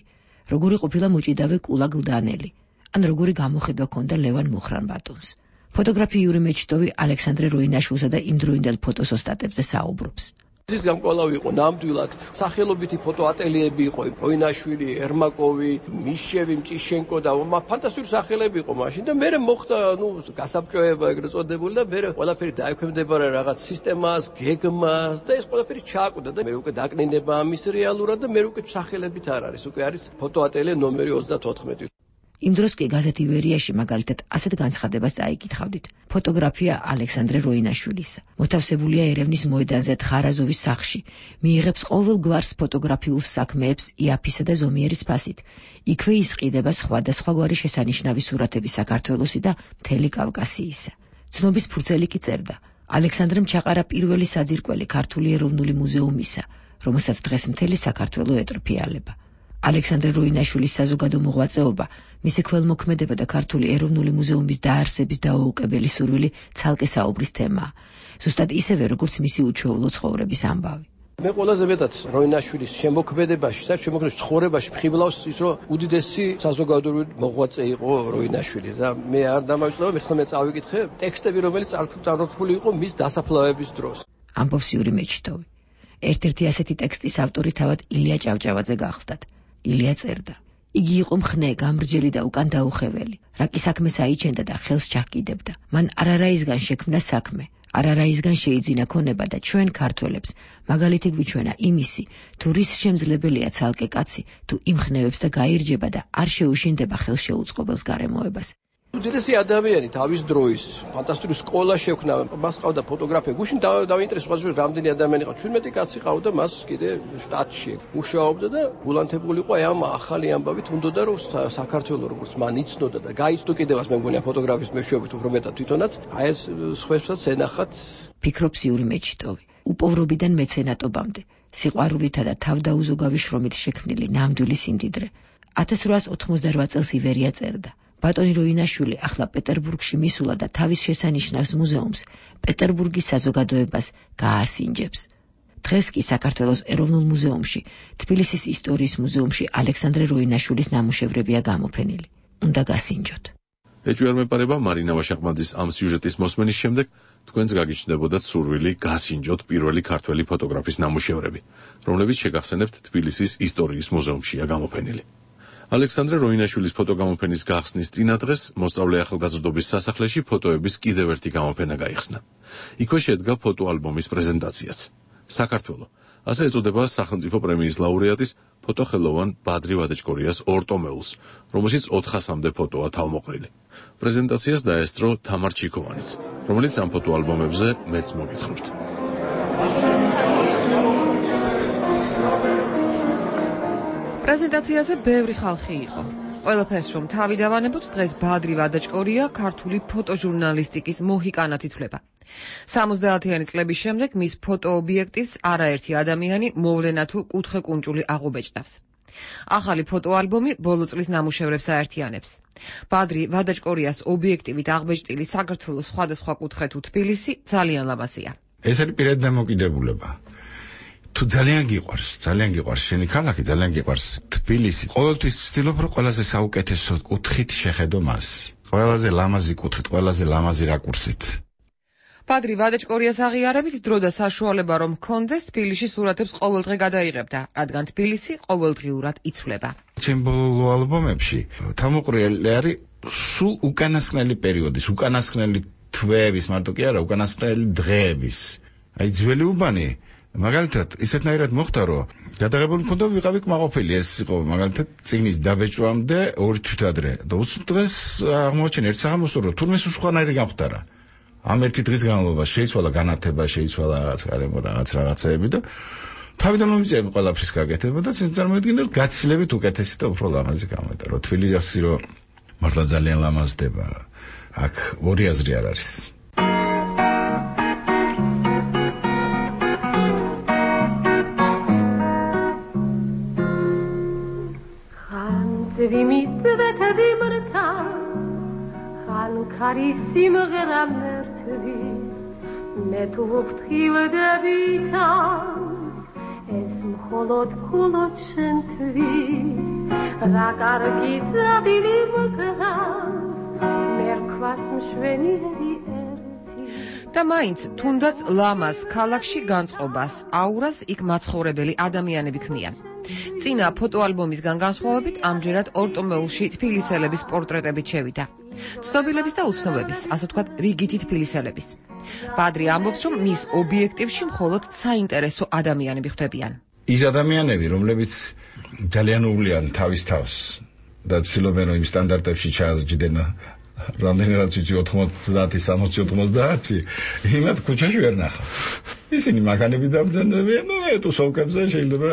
როგორი ყოფილა მოჭიდავე კულა გლდანელი, ან როგორი გამოხედვა ჰქონდა ლევან მუხრან-ბატონს. ფოტოგრაფი იური მეჩტოვი ალექსანდრე როინაშვილსა და იმდროინდელ ფოტოსოსტატებზე საუბრობს. ის გამკვლავი იყო ნამდვილად სახელობითი ფოტოატელიები იყო როინაშვილი, ერმაკოვი, მიშევი, მჭიშენკო და ფანტასტიკური სახელები იყო მაშინ და მე მოხდა ნუ გასაბჭოება ეგრეთ წოდებული და მე ყველაფერი დაექვემდებარა რაღაც სისტემას, გეგმას და ეს ყველაფერი ჩააკვდა და მე უკვე დაკნინება ამის რეალურად და მე უკვე სახელებით არ არის, უკვე არის ფოტოატელია ნომერი ოცდათოთხმეტი. იმ დროს კი გაზეთ ივერიაში მაგალითად ასეთ განცხადებას წაიკითხავდით. ფოტოგრაფია ალექსანდრე როინაშვილისა. მოთავსებულია ერევნის მოედანზე თხარაზოვის სახლში. მიიღებს ყოველ გვარს ფოტოგრაფიულ საქმეებს იაფისა და ზომიერის ფასით. იქვე ისყიდება სხვადასხვაგვარი შესანიშნავი სურათები საქართველოსი და მთელი კავკასიისა. ცნობის ფურცელი კი წერდა. ალექსანდრემ ჩაყარა პირველი საძირკველი ქართული ეროვნული მუზეუმისა, რომელსაც დღეს მთელი საქართველო ეტრფიალება. ალექსანდრე როინაშვილის საზოგადო მოღვაწეობა, მისი ქველმოქმედება და ქართული ეროვნული მუზეუმის დაარსების დაუოკებელი სურვილი ცალკე საუბრის თემაა. ზუსტად ისევე, როგორც მისი უჩვეულო ცხოვრების ამბავი. მე ყველაზე მეტად როინაშვილის შემოქმედებაში, საერთოდ შემოქმედებაში, ცხოვრებაში მხიბლავს ის, რომ უდიდესი საზოგადოებრივი მოღვაწე იყო როინაშვილი და მე არ დამავიწყდება, მე ხომ წავიკითხე ტექსტები, რომელიც წარმოთქმული იყო მის დასაფლავების დროს. ამბობს იური მეჩტოვი. ერთ-ერთი ასეთი ტექსტის ავტორი თავად ილია ჭავჭავაძე გახლდათ. ილია წერდა. იგი იყო მხნე, გამრჯელი და უკან დაუხეველი. რაკი საქმეს აიჩენდა და ხელს ჩაჰკიდებდა. მან არარაისგან შექმნა საქმე, არარაისგან შეიძინა ქონება და ჩვენ ქართველებს მაგალითი გვიჩვენა იმისი, თუ რის შემძლებელია ცალკე კაცი, თუ იმხნევებს და გაირჯება და არ შეუშინდება ხელშეუწყობელს გარემოებას. უდიდესი ადამიანი თავის დროის ფანტასტიკური სკოლა შექმნა, მას ყავდა ფოტოგრაფია. გუშინ დავინტერესდა სხვადასხვა რამდენი ადამიანი ყავდა. ჩვენმეტი კაცი ყავდა, მას კიდე შტატში მუშაობდა და გულანთებული იყო ამ ახალი ამბავით, უნდოდა რომ საქართველოს როგორც მან იცნოდა და გაიცნო კიდევაც მე მგონია ფოტოგრაფიის მეშვეობით უფრო მეტად თვითონაც, აი ეს სხვებსაც ენახათ. ფიქრობს იური მეჩიტოვი. უპოვრობიდან მეცენატობამდე, სიყვარულითა და თავდაუზოგავი შრომით შექმნილი ნამდვილი სიმდიდრე. ათას რვაას ოთხმოცდარვა წელს ივერია წერდა. ბატონი როინაშვილი ახლა პეტერბურგში მისულა და თავის შესანიშნავს მუზეუმს, პეტერბურგის საზოგადოებას გაასინჯებს. დღეს კი საქართველოს ეროვნულ მუზეუმში, თბილისის ისტორიის მუზეუმში ალექსანდრე როინაშვილის ნამუშევრებია გამოფენილი. უნდა გასინჯოთ. ეჭვი არ მეპარება მარინა ვაშაყმაძის ამ სიუჟეტის მოსმენის შემდეგ თქვენს გაგიჩნდებოდათ სურვილი გასინჯოთ პირველი ქართველი ფოტოგრაფის ნამუშევრები, რომლებიც შეგახსენებთ თბილისის ისტორიის მუზეუმშია გამოფენილი. ალექსანდრე როინაშვილის ფოტოგამოფენის გახსნის წინა დღეს მოსწავლე ახალგაზრდობის სასახლეში ფოტოების კიდევ ერთი გამოფენა გაიხსნა. იქვე შედგა ფოტოალბომის პრეზენტაციაც. საქართველო, ასე ეწოდება სახელმწიფო პრემიის ლაურეატის ფოტოხელოვან ბადრი ვადაჭკორიას ორტომეულს, რომელშიც ოთხასამდე ფოტოა თავმოყრილი. პრეზენტაციას დაესწრო თამარ ჩიქოვანიც, რომელიც ამ ფოტოალბომებზე მეც მოგითხრობთ. პრეზენტაციაზე ბევრი ხალხი იყო. ყველაფერს რომ თავი დავანებოთ, დღეს ბადრი ვადაჭკორია ქართული ფოტოჟურნალისტიკის მოჰიკანად ითვლება. სამოცდაათიანი წლების შემდეგ მის ფოტოობიექტივს არაერთი ადამიანი მოვლენა თუ კუთხე-კუნჭული აღუბეჭდავს. ახალი ფოტოალბომი ბოლო წლის ნამუშევრებს აერთიანებს. ბადრი ვადაჭკორიას ობიექტივით აღბეჭდილი საქართველოს სხვადასხვა კუთხე თუ თბილისი ძალიან ლამაზია. ეს არის პირადი დამოკიდებულება. თუ ძალიან გიყვარს, ძალიან გიყვარს შენი ქალაქი, ძალიან გიყვარს თბილისი. ყოველთვის ვცდილობ რომ ყველაზე საუკეთესო კუთხით შეხედო მას. ყველაზე ლამაზი კუთხით, ყველაზე ლამაზი რაკურსით. ბადრი ვადაჭკორიას აღიარებით დრო და საშუალება რომ ჰქონდეს თბილისში სურათებს ყოველდღე გადაიღებდა, რადგან თბილისი ყოველდღიურად იცვლება. ჩემ ბოლო ალბომებში თავმოყრილი არის სულ უკანასკნელი პერიოდის, უკანასკნელი თვეების, მარტო კი არა, უკანასკნელი დღეების. აი ძველი უბანი მაგალითად ისეთნაირად მოხდა რომ გადაღებული მქონდა ვიყავი კმაყოფილი, ეს იყო მაგალითად წიგნის დაბეჭვამდე ორი თვით ადრე და უცებ დღეს აღმოჩენ ერთ საღამოსო რომ თურმე სხვანაირი გამხდარა. ამ ერთი დღის განმავლობაში შეიცვალა განათება, შეიცვალა რაღაც გარემო რაღაც რაღაცეები და თავიდან მომიწევი ყველაფრის გაკეთება და წარმოიდგინე გაცილებით უკეთესი და უფრო ლამაზი გამოვიდა. რომ თბილისი რომ მართლა ძალიან ლამაზდება, აქ ორი აზრი არ არის. ვიმისდეთები მრთა ხან ქარისიმღერა მერთვის მე თუ ვფრთხილდებითან ეს მხოლოდ მხოლოდ შენთვის რა კარგი ძაბილი მოკლა მე რქვას მშვენიერი ერთი და მაინც თუნდაც ლამაზ ქალაქში განწყობას აურას იქ მაცხოვრებელი ადამიანები ქმნიან. წინა ფოტოალბომისგან განსხვავებით ამჯერად ორტომეულში თბილისელების პორტრეტებით შევიდა. ცნობილების და უცნობების, ასე ვთქვათ, რიგითი თბილისელების. ბადრი ამბობს, რომ მის ობიექტივში მხოლოდ საინტერესო ადამიანები ხვდებიან. ის ადამიანები, რომლებიც ძალიან უვლიან თავის თავს და ცდილობენ რომ იმ სტანდარტებში ჩააზრჯდნენ რამდენადაც ვიცი ოთხმოცდაათი, სამოცი, ოთხმოცდაათი, იმათ ქუჩაში ვერ ნახავ. ისინი მანქანები დაბრძანებიან, ნუ ეტუსოვკებზე შეიძლება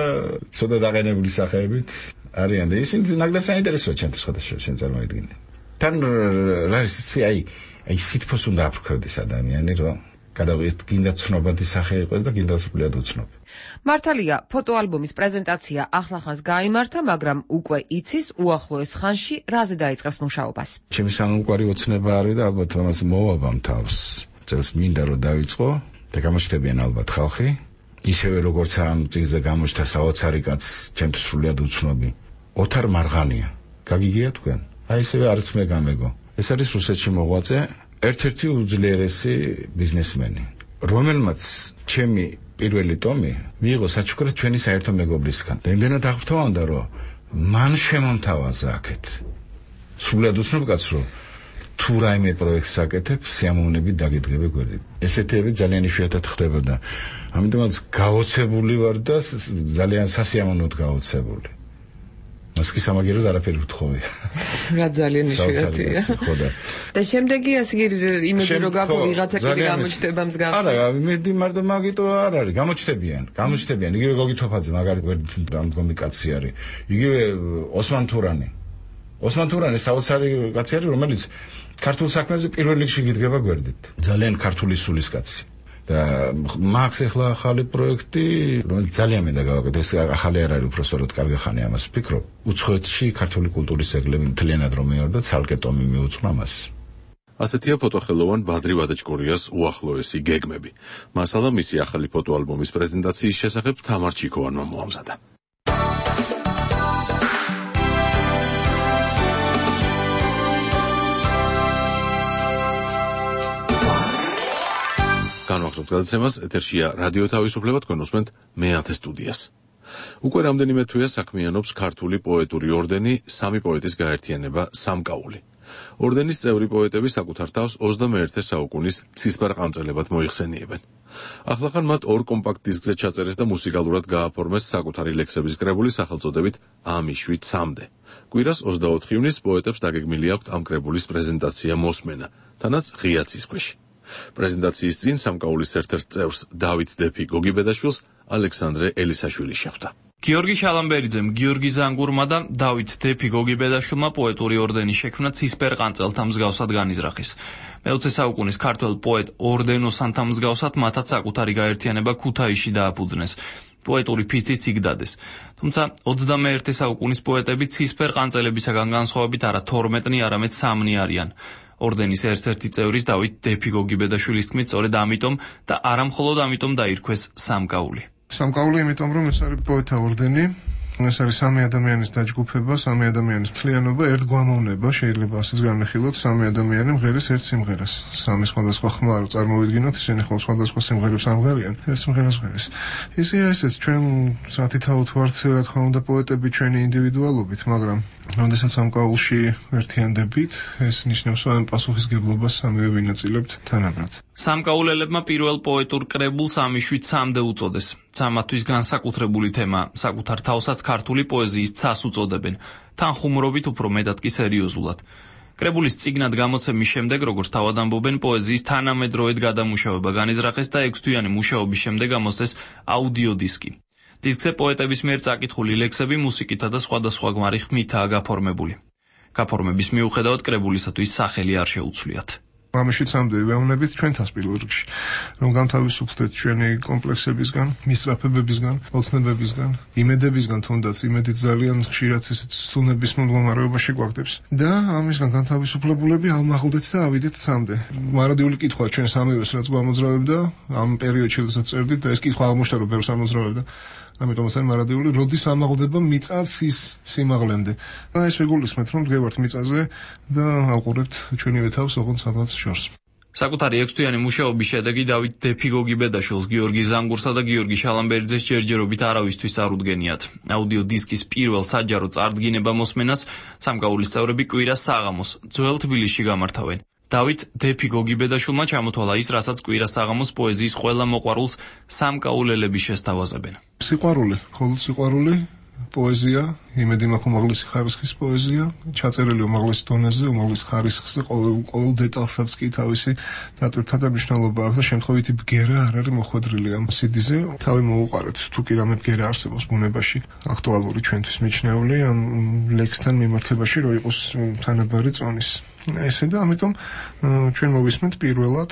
ცოტა დაყენებული სახეებით არიან და ისინი ნაკლებად საინტერესოა ჩემთვის სხვადასხვა შენ წარმოიდგინე. თან რა ის აი აი სითფოს უნდა აფრქვევდეს ადამიანი რომ გადავიდეს გინდა ცნობადი სახე იყოს და გინდა სულიად უცნობი. მართალია, ფოტოალბომის პრეზენტაცია ახლახანს გაიმართა, მაგრამ უკვე იცის უახლოეს ხანში რაზე დაიწყებს მუშაობას. ჩემი სამყარო ოცნება არის და ალბათ ამას მოვაბამ თავს. წელს მინდა რომ დავიწყო და გამოჩნდებიან ალბათ ხალხი, ისევე როგორც ამ წიგნზე გამოჩნდა საოცარი კაც, ჩემთვის სულიად უცნობი. ოთარ მარღანია. გაგიგია თქვენ? აი ისევე არც მე გამეგო. ეს არის რუსეთში მოღვაწე, ერთ-ერთი უძლიერესი ბიზნესმენი, რომელმაც ჩემი პირველი ტომი მიიღო საჩუქრად ჩვენი საერთო მეგობრისგან. იმდენად აღფრთოვანდა, რომ მან შემომთავაზა აქეთ. სულიად უცნობ კაცს რომ თუ რაიმე პროექტს აკეთებ, სიამოვნებით დაგიდგები გვერდით. ესეთები ძალიან იშვიათად ხდებოდა. ამიტომაც გაოცებული ვარ და ძალიან სასიამოვნოდ გაოცებული. მას კი სამაგიეროდ არაფერი ვთხოვე. რა ძალიან იშვიათია. და შემდეგი ასე იმედი რომ გაგო ვიღაცა კიდე გამოჩნდება მსგავსი. არა, იმედი მარტო მაგიტო არ არის, გამოჩნდებიან, გამოჩნდებიან. იგივე გოგი თოფაძე მაგალითად დამდგომი კაცი არის. იგივე ოსმან თურანი. ოსმან თურანი საოცარი კაცი არის, რომელიც ქართულ საქმეებზე პირველ რიგში გიდგება გვერდით. ძალიან ქართული სულის კაცი. და მაქვს ახლა ახალი პროექტი, რომელიც ძალიან მინდა გავაკეთო. ეს ახალი არ არის, უბრალოდ კარგი ხანი ამას ვფიქრობ. უცხოეთში ქართული კულტურის ძეგლები მთლიანად რომ მეორდა, ცალკე ტომი მიუძღვნა მას. ასეთია ფოტოხელოვან ბადრი ვადაჭკორიას უახლოესი გეგმები. მასალა მისი ახალი ფოტოალბომის პრეზენტაციის შესახებ თამარ ჩიქოვანმა მოამზადა. განვახსოვთ გადაცემას, ეთერშია რადიო თავისუფლება, თქვენ უსმენთ მეათე სტუდიას. უკვე რამდენიმე თვეა საქმიანობს ქართული პოეტური ორდენი, სამი პოეტის გაერთიანება სამკაული. ორდენის წევრი პოეტები საკუთარ თავს ოცდამეერთე საუკუნის ცისფერყანწელებად მოიხსენიებენ. ახლახან მათ ორ კომპაქტ დისკზე ჩაწერეს და მუსიკალურად გააფორმეს საკუთარი ლექსების კრებული სახელწოდებით ამი შვიდ სამდე. კვირას ოცდაოთხ ივნის პოეტებს დაგეგმილი აქვთ ამ კრებულის პრეზენტაცია მოსმენა, თანაც ღია ცისქვეში. პრეზენტაციის წინ სამკაულის ერთ-ერთ წევრს დავით დეფი გოგიბედაშვილს ალექსანდრე ელისაშვილი შეხვდა. გიორგი შალამბერიძემ, გიორგი ზანგურმა და დავით დეფი გოგიბედაშვილმა პოეტური ორდენი შექმნა ცისფერყანწელთა მსგავსად განიზრახეს. მეოცე საუკუნის ქართველ პოეტ ორდენოსანთა მსგავსად მათაც საკუთარი გაერთიანება ქუთაისში დააფუძნეს. პოეტური ფიციც იქ დადეს. თუმცა ოცდამეერთე საუკუნის პოეტები ცისფერყანწელებისაგან განსხვავებით არა თორმეტნი, არამედ სამნი არიან. ორდენის ერთ-ერთი წევრის დავით დეფი გოგიბედაშვილის თქმით, სწორედ ამიტომ და არა მხოლოდ ამიტომ დაირქვეს სამკაული. სამკაული იმიტომ, რომ ეს არის პოეტთა ორდენი, ეს არის სამი ადამიანის დაჯგუფება, სამი ადამიანის მთლიანობა, ერთგვამოვნება, შეიძლება ასეც განვიხილოთ, სამი ადამიანი მღერის ერთ სიმღერას. სამი სხვადასხვა ხმა რო წარმოვიდგინოთ, ისინი ხოლმე სხვადასხვა სიმღერებს ამღერიან, ერთ სიმღერას ღერის. ისეა ესეც ჩვენ სათითაოდ ვართ, რა თქმა უნდა, პოეტები ჩვენი ინდივიდუალობით, მაგრამ როდესაც სამკაულში ერთიანდებით, ეს ნიშნავს, რომ პასუხისგებლობას სამივე ვინაწილებთ თანაბრად. სამკაულელებმა პირველ პოეტურ კრებულს ამი შვიდ სამდე უწოდეს. სამათთვის განსაკუთრებული თემა, საკუთარ თავსაც ქართული პოეზიის ცას უწოდებენ, თანხუმრობით უფრო მეტად კი სერიოზულად. კრებულის წიგნად გამოცემის შემდეგ, როგორც თავად ამბობენ, პოეზიის თანამედროვედ გადამუშავება განიზრახეს და ექვსთვიანი მუშაობის შემდეგ გამოსცეს აუდიო დისკი. დისკზე პოეტების მიერ წაკითხული ლექსები მუსიკითა და სხვადასხვა გვარი ხმითაა გაფორმებული. გაფორმების მიუხედავად კრებულისათვის სახელი არ შეუცვლიათ. ამი შვიდ სამდე ვეუბნებით ჩვენ თავს პირველ რიგში, რომ გამთავისუფლდეთ ჩვენი კომპლექსებისგან, მისწრაფებებისგან, ოცნებებისგან, იმედებისგან, თუნდაც იმედით ძალიან ხშირად ესეთ სუნების მდგომარეობაში გვაგდებს და ამისგან განთავისუფლებულები ალმაღლდეთ და ავიდეთ სამდე. მარადიული კითხვა ჩვენ სამივეს რაც გვამოძრავებდა ამ პერიოდში, როდესაც წერდით და ეს კითხვა აღმოჩნდა რომ ბევრს ამოძრავებდა. ამიტომ ასე მარადიული როდის ამაღლდება მიწაც ის სიმაღლემდე. და ეს ვეგულისმეთ რომ დგევართ მიწაზე და ავყურებთ ჩვენივე თავს ოღონდ სადღაც შორს. საკუთარი ექვსთვიანი მუშაობის შედეგი დავით დეფი გოგიბედაშვილს, გიორგი ზანგურსა და გიორგი შალამბერიძეს ჯერჯერობით არავისთვის არ უდგენიათ. აუდიო დისკის პირველ საჯარო წარდგინება მოსმენას სამკაულის წევრები კვირას საღამოს ძველ თბილისში გამართავენ. დავით დეფი გოგიბედაშვილმა ჩამოთვალა ის, რასაც კვირას საღამოს პოეზიის ყველა მოყვარულს სამკაულელები შესთავაზებენ. სიყვარული, მხოლოდ სიყვარული, პოეზია, იმედი მაქვს უმაღლესი ხარისხის პოეზია, ჩაწერილი უმაღლეს დონეზე, უმაღლეს ხარისხზე, ყოველ ყოველ დეტალსაც კი თავისი დატვირთვა და მნიშვნელობა აქვს და შემთხვევითი ბგერა არ არის მოხვედრილი ამ სიდიზე. თავი მოუყარეთ, თუ კი რამე ბგერა არსებობს ბუნებაში, აქტუალური ჩვენთვის მიჩნეული ამ ლექსთან მიმართებაში, რომ იყოს თანაბარი წონის. ესე და ამიტომ ჩვენ მოვისმენთ პირველად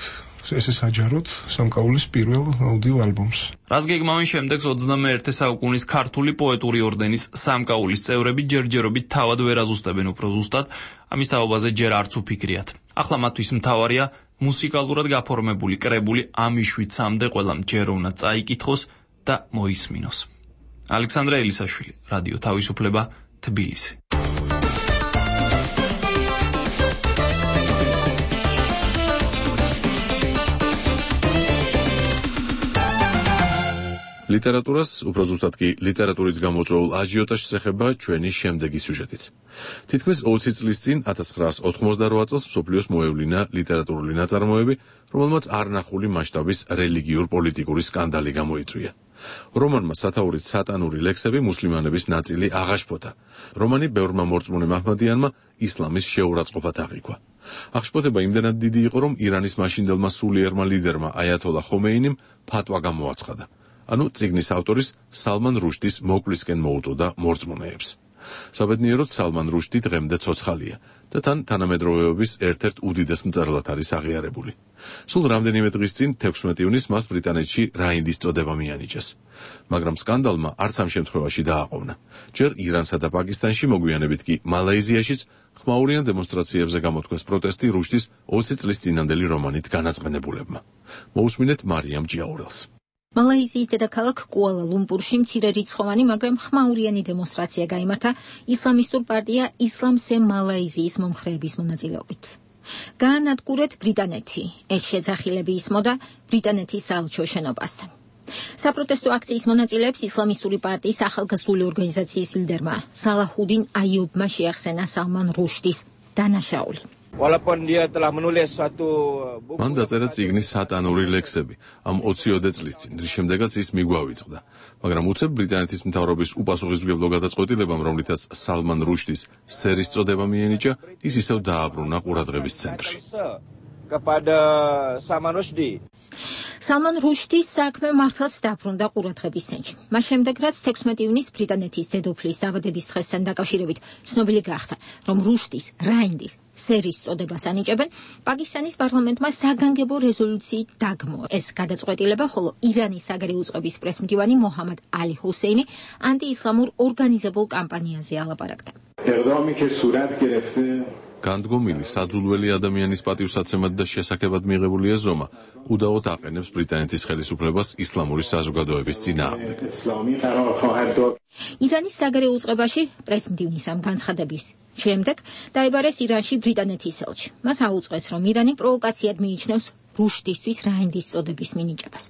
ესე საჯაროდ სამკაულის პირველ აუდიო ალბომს. რაც გეგმავენ შემდეგს ოცდამეერთე საუკუნის ქართული პოეტური ორდენის სამკაულის წევრები ჯერჯერობით თავად ვერ აზუსტებენ უფრო ზუსტად, ამის თაობაზე ჯერ არც უფიქრიათ. ახლა მათთვის მთავარია მუსიკალურად გაფორმებული კრებული ამი შვიდ სამდე ყველამ ჯერ უნდა წაიკითხოს და მოისმინოს. ალექსანდრე ელისაშვილი, რადიო თავისუფლება, თბილისი. ლიტერატურას, უფრო ზუსტად კი ლიტერატურით გამოწვეულ აჟიოტაჟს ეხება ჩვენი შემდეგი სიუჟეტიც. თითქმის ოცი წლის წინ ათას ცხრაას ოთხმოცდარვა წელს მსოფლიოს მოევლინა ლიტერატურული ნაწარმოები, რომელმაც არნახული მასშტაბის რელიგიურ-პოლიტიკური სკანდალი გამოიწვია. რომანმა სათაურით სატანური ლექსები მუსლიმანების ნაწილი აღაშფოთა. რომანი ბევრმა მორწმუნე მაჰმადიანმა ისლამის შეურაცხყოფად აღიქვა. აღშფოთება იმდენად დიდი იყო, რომ ირანის მაშინდელმა სულიერმა ლიდერმა აიათოლა ხომეინიმ ფატვა გამოაცხადა. ანუ წიგნის ავტორის სალმან რუშდის მოკლისკენ მოუწოდა მორწმუნეებს. საბედნიეროდ სალმან რუშდი დღემდე ცოცხალია და თან თანამედროვეობის ერთ-ერთ უდიდეს მწერლად არის აღიარებული. სულ რამდენიმე დღის წინ თექვსმეტი ივნისს მას ბრიტანეთში რაინდის წოდება მიანიჭეს. მაგრამ სკანდალმა არც ამ შემთხვევაში დააყოვნა. ჯერ ირანსა და პაკისტანში, მოგვიანებით კი მალაიზიაშიც ხმაურიან დემონსტრაციებზე გამოთქვეს პროტესტი რუშდის ოცი წლის წინანდელი რომანით განაწყენებულებმა. მოусმინეთ მარიამ ჯიაურელს. მალაიზიის დედაქალაქ კუალა-ლუმპურში მცირერიცხოვანი, მაგრამ ხმაურიანი დემონსტრაცია გაიმართა ისლამისტურ პარტია ისლამსე მალაიზიის მომხრეების მონაწილეობით. გაანადგურეთ ბრიტანეთი. ეს შეძახილები ისმოდა ბრიტანეთის საელჩო შენობასთან. საპროტესტო აქციის მონაწილეებს ისლამისტური პარტიის ახალგაზრდული ორგანიზაციის ლიდერმა სალაჰუდინ აიუბმა შეახსენა სალმან რუშდის დანაშაული. Walaupun dia telah menulis suatu მან დაწერა წიგნის სატანური ლექსები ამ ოციოდე წლის წინ, რის შემდეგაც ის მიგვავიწყდა. მაგრამ უცებ ბრიტანეთის მთავრობის უპასუხისმგებლო გადაწყვეტილებამ, რომლითაც სალმან რუშდის სერის წოდება მიენიჭა, ის ისევ დააბრუნა ყურადღების ცენტრში. kepada Salman Rushdie. სალმან რუშდის საქმე მართლაც დაბრუნდა ყურადღების ცენტრში. მას შემდეგ, რაც თექვსმეტი ივნისს ბრიტანეთის დედოფლის დაბადების დღესთან დაკავშირებით ცნობილი გახდა, რომ რუშდის რაინდის სერის წოდებას ანიჭებენ, პაკისტანის პარლამენტმა საგანგებო რეზოლუციით დაგმო ეს გადაწყვეტილება, ხოლო ირანის საგარეო უწყების პრესმდივანი მოჰამად ალი ჰუსეინი ანტიისლამურ ორგანიზებულ კამპანიაზე ალაპარაკდა. ეყდამი კი სურათ გერეფტე განდგომილი საძულველი ადამიანის პატივსაცემად და შესაქმად მიღებული ეზომა უდაოდ აყენებს ბრიტანეთის ხელისუფლებას ისლამური საზოგადოების წინააღმდეგ. ირანის საგარეო უწყებაში პრესმდივნის ამ განცხადების შემდეგ დაიბარეს ირანში ბრიტანეთის ელჩი. მას აუწყეს, რომ ირანი პროვოკაციად მიიჩნევს რუშდისთვის რაინდის წოდების მინიჭებას.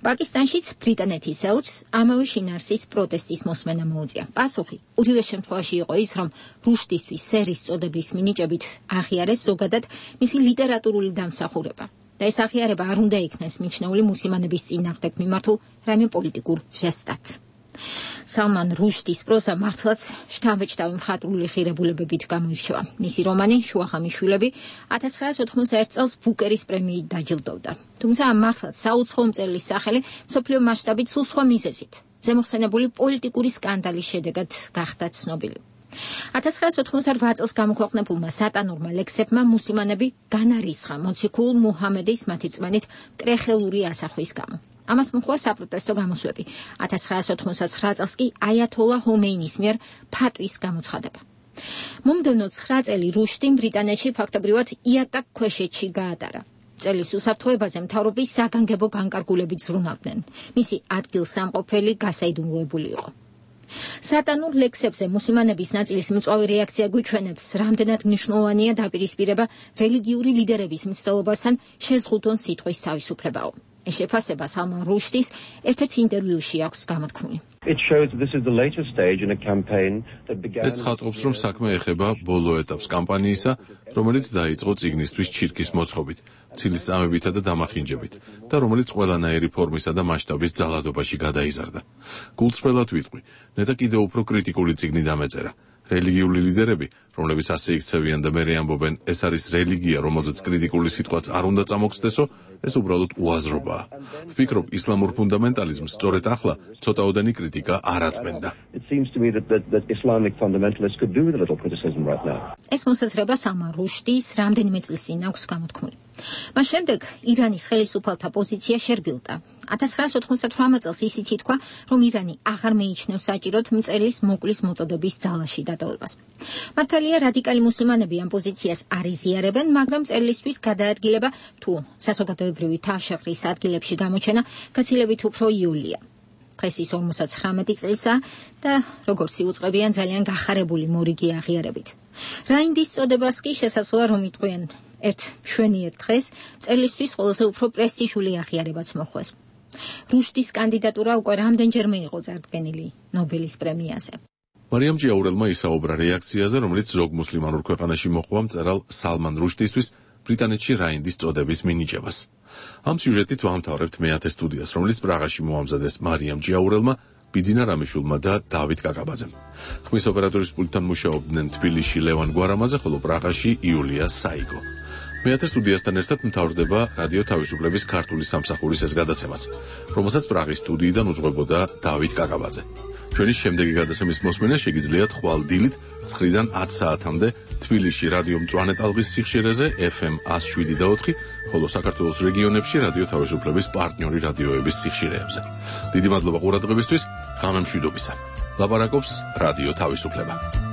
პაკისტანშიც ბრიტანეთის ელჩს ამავე შინაარსის პროტესტის მოსმენა მოუწია. პასუხი ორივე შემთხვევაში იყო ის, რომ რუშდისთვის სერის წოდების მინიჭებით აღიარეს ზოგადად მისი ლიტერატურული დამსახურება. და ეს აღიარება არ უნდა იქნეს მიჩნეული მუსლიმანების წინააღმდეგ მიმართულ რაიმე პოლიტიკურ ჟესტად. სალმან რუშდის პროზა მართლაც შთამბეჭდავი მხატვრული ღირებულებებით გამოირჩევა. მისი რომანი შუახამის შვილები ათას ცხრაას ოთხმოცდაერთი წელს ბუკერის პრემიით დაჯილდოვდა. თუმცა მართლაც საუცხოო მწერლის სახელი მსოფლიო მასშტაბით სულ სხვა მიზეზით, ზემოხსენებული პოლიტიკური სკანდალის შედეგად გახდა ცნობილი. ათას ცხრაას ოთხმოცდარვა წელს გამოქვეყნებულმა სატანურმა ლექსებმა მუსლიმანები განარისხა მოციქულ მუჰამედის მათი რწმენით კრეხელური ასახვის გამო. ამას მოჰყვა საპროტესტო გამოსვლები. ათას ცხრაას ოთხმოცდაცხრა წელს კი აიათოლა ჰომეინის მიერ ფატვის გამოცხადება. მომდევნო ცხრა წელი რუშდიმ ბრიტანეთში ფაქტობრივად იატაკ ქვეშეთში გაატარა. წელის უსაფრთხოებაზე მთავრობის საგანგებო განკარგულებით ზრუნავდნენ. მისი ადგილსამყოფელი გასაიდუმლოებული იყო. სატანურ ლექსებზე მუსლიმანების ნაწილის მწვავე რეაქცია გვიჩვენებს, რამდენად მნიშვნელოვანია დაპირისპირება რელიგიური ლიდერების მცდელობასთან შეზღუდონ სიტყვის თავისუფლებაო. ეს შეფასება სალმან რუშდის ერთ-ერთ ინტერვიუში აქვს გამოთქმული. ეს ხატობს, რომ საქმე ეხება ბოლო ეტაპს კამპანიისა, რომელიც დაიწყო წიგნისთვის ჩირკის მოწყობით, ცილისწამებითა და დამახინჯებით და რომელიც ყველანაირი ფორმისა და მასშტაბის ძალადობაში გადაიზარდა. გულწრფელად ვიტყვი, ნეტა კიდევ უფრო კრიტიკული წიგნი დამეწერა. რელიგიური ლიდერები, რომლებიც ასე იქცევიან და მერე ამბობენ, ეს არის რელიგია, რომელზეც კრიტიკული სიტყვაც არ უნდა წამოგხსნესო, ეს უბრალოდ უაზრობაა. ვფიქრობ, ისლამურ ფუნდამენტალიზმს სწორედ ახლა ცოტაოდენი კრიტიკა არ აწმენდა. ეს მოსაზრება სალმან რუშდის რამდენიმე წლის წინ აქვს გამოთქმული. მას შემდეგ ირანის ხელისუფალთა პოზიცია შერბილდა. ათას ცხრაას ოთხმოცდათვრამეტ წელს ისიც ითქვა, რომ ირანი აღარ მეიჩნევს საჭიროდ მწერლის მოკლის მოწოდების ძალაში დატოვებას. მართალია, რადიკალი მუსლიმანები ამ პოზიციას არ იზიარებენ, მაგრამ მწერლისთვის გადაადგილება თუ საზოგადოებრივი თავშეყრის ადგილებში გამოჩენა გაცილებით უფრო იოლია. დღეს ის ორმოცდაცხრამეტი წლისა და როგორც იუწყებიან ძალიან გახარებული მორიგი აღიარებით. რაინდის წოდებას კი შესაძლოა რომ იტყვიან ერთ მშვენიერ დღეს მწერლისთვის ყველაზე უფრო პრესტიჟული აღიარებაც მოხვეს. რუშდის კანდიდატურა უკვე რამდენჯერმე იყო წარდგენილი ნობელის პრემიაზე. მარიამ ჯიაურელმა ისაუბრა რეაქციაზე, რომელიც ზოგ მუსლიმანურ ქვეყანაში მოჰყვა მწერალ სალმან რუშდისთვის ბრიტანეთში რაინდის წოდების მინიჭებას. ამ სიუჟეტით ვამთავრებთ მეათე სტუდიას, რომელიც პრაღაში მოამზადეს მარიამ ჯიაურელმა, ბიძინა რამიშულმა და დავით კაკაბაძემ. ხმის ოპერატორის პულტთან მუშაობდნენ თბილისში ლევან გვარამაძე, ხოლო პრაღაში იულია საიგო. მეათე სტუდიასთან ერთად მთავრდება რადიო თავისუფლების ქართული სამსახურის ეს გადაცემაც, რომელსაც პრაღის სტუდიიდან უძღვებოდა დავით კაკაბაძე. ჩვენი შემდეგი გადაცემის მოსმენა შეგიძლიათ ხვალ დილით ცხრიდან ათი საათამდე თბილისში რადიო მწვანე ტალღის სიხშირეზე ეფ ემ one oh seven და four, ხოლო საქართველოს რეგიონებში რადიო თავისუფლების პარტნიორი რადიოების სიხშირეებზე. დიდი მადლობა ყურადღებისთვის, ღამე მშვიდობისა. ლაპარაკობს რადიო თავისუფლება.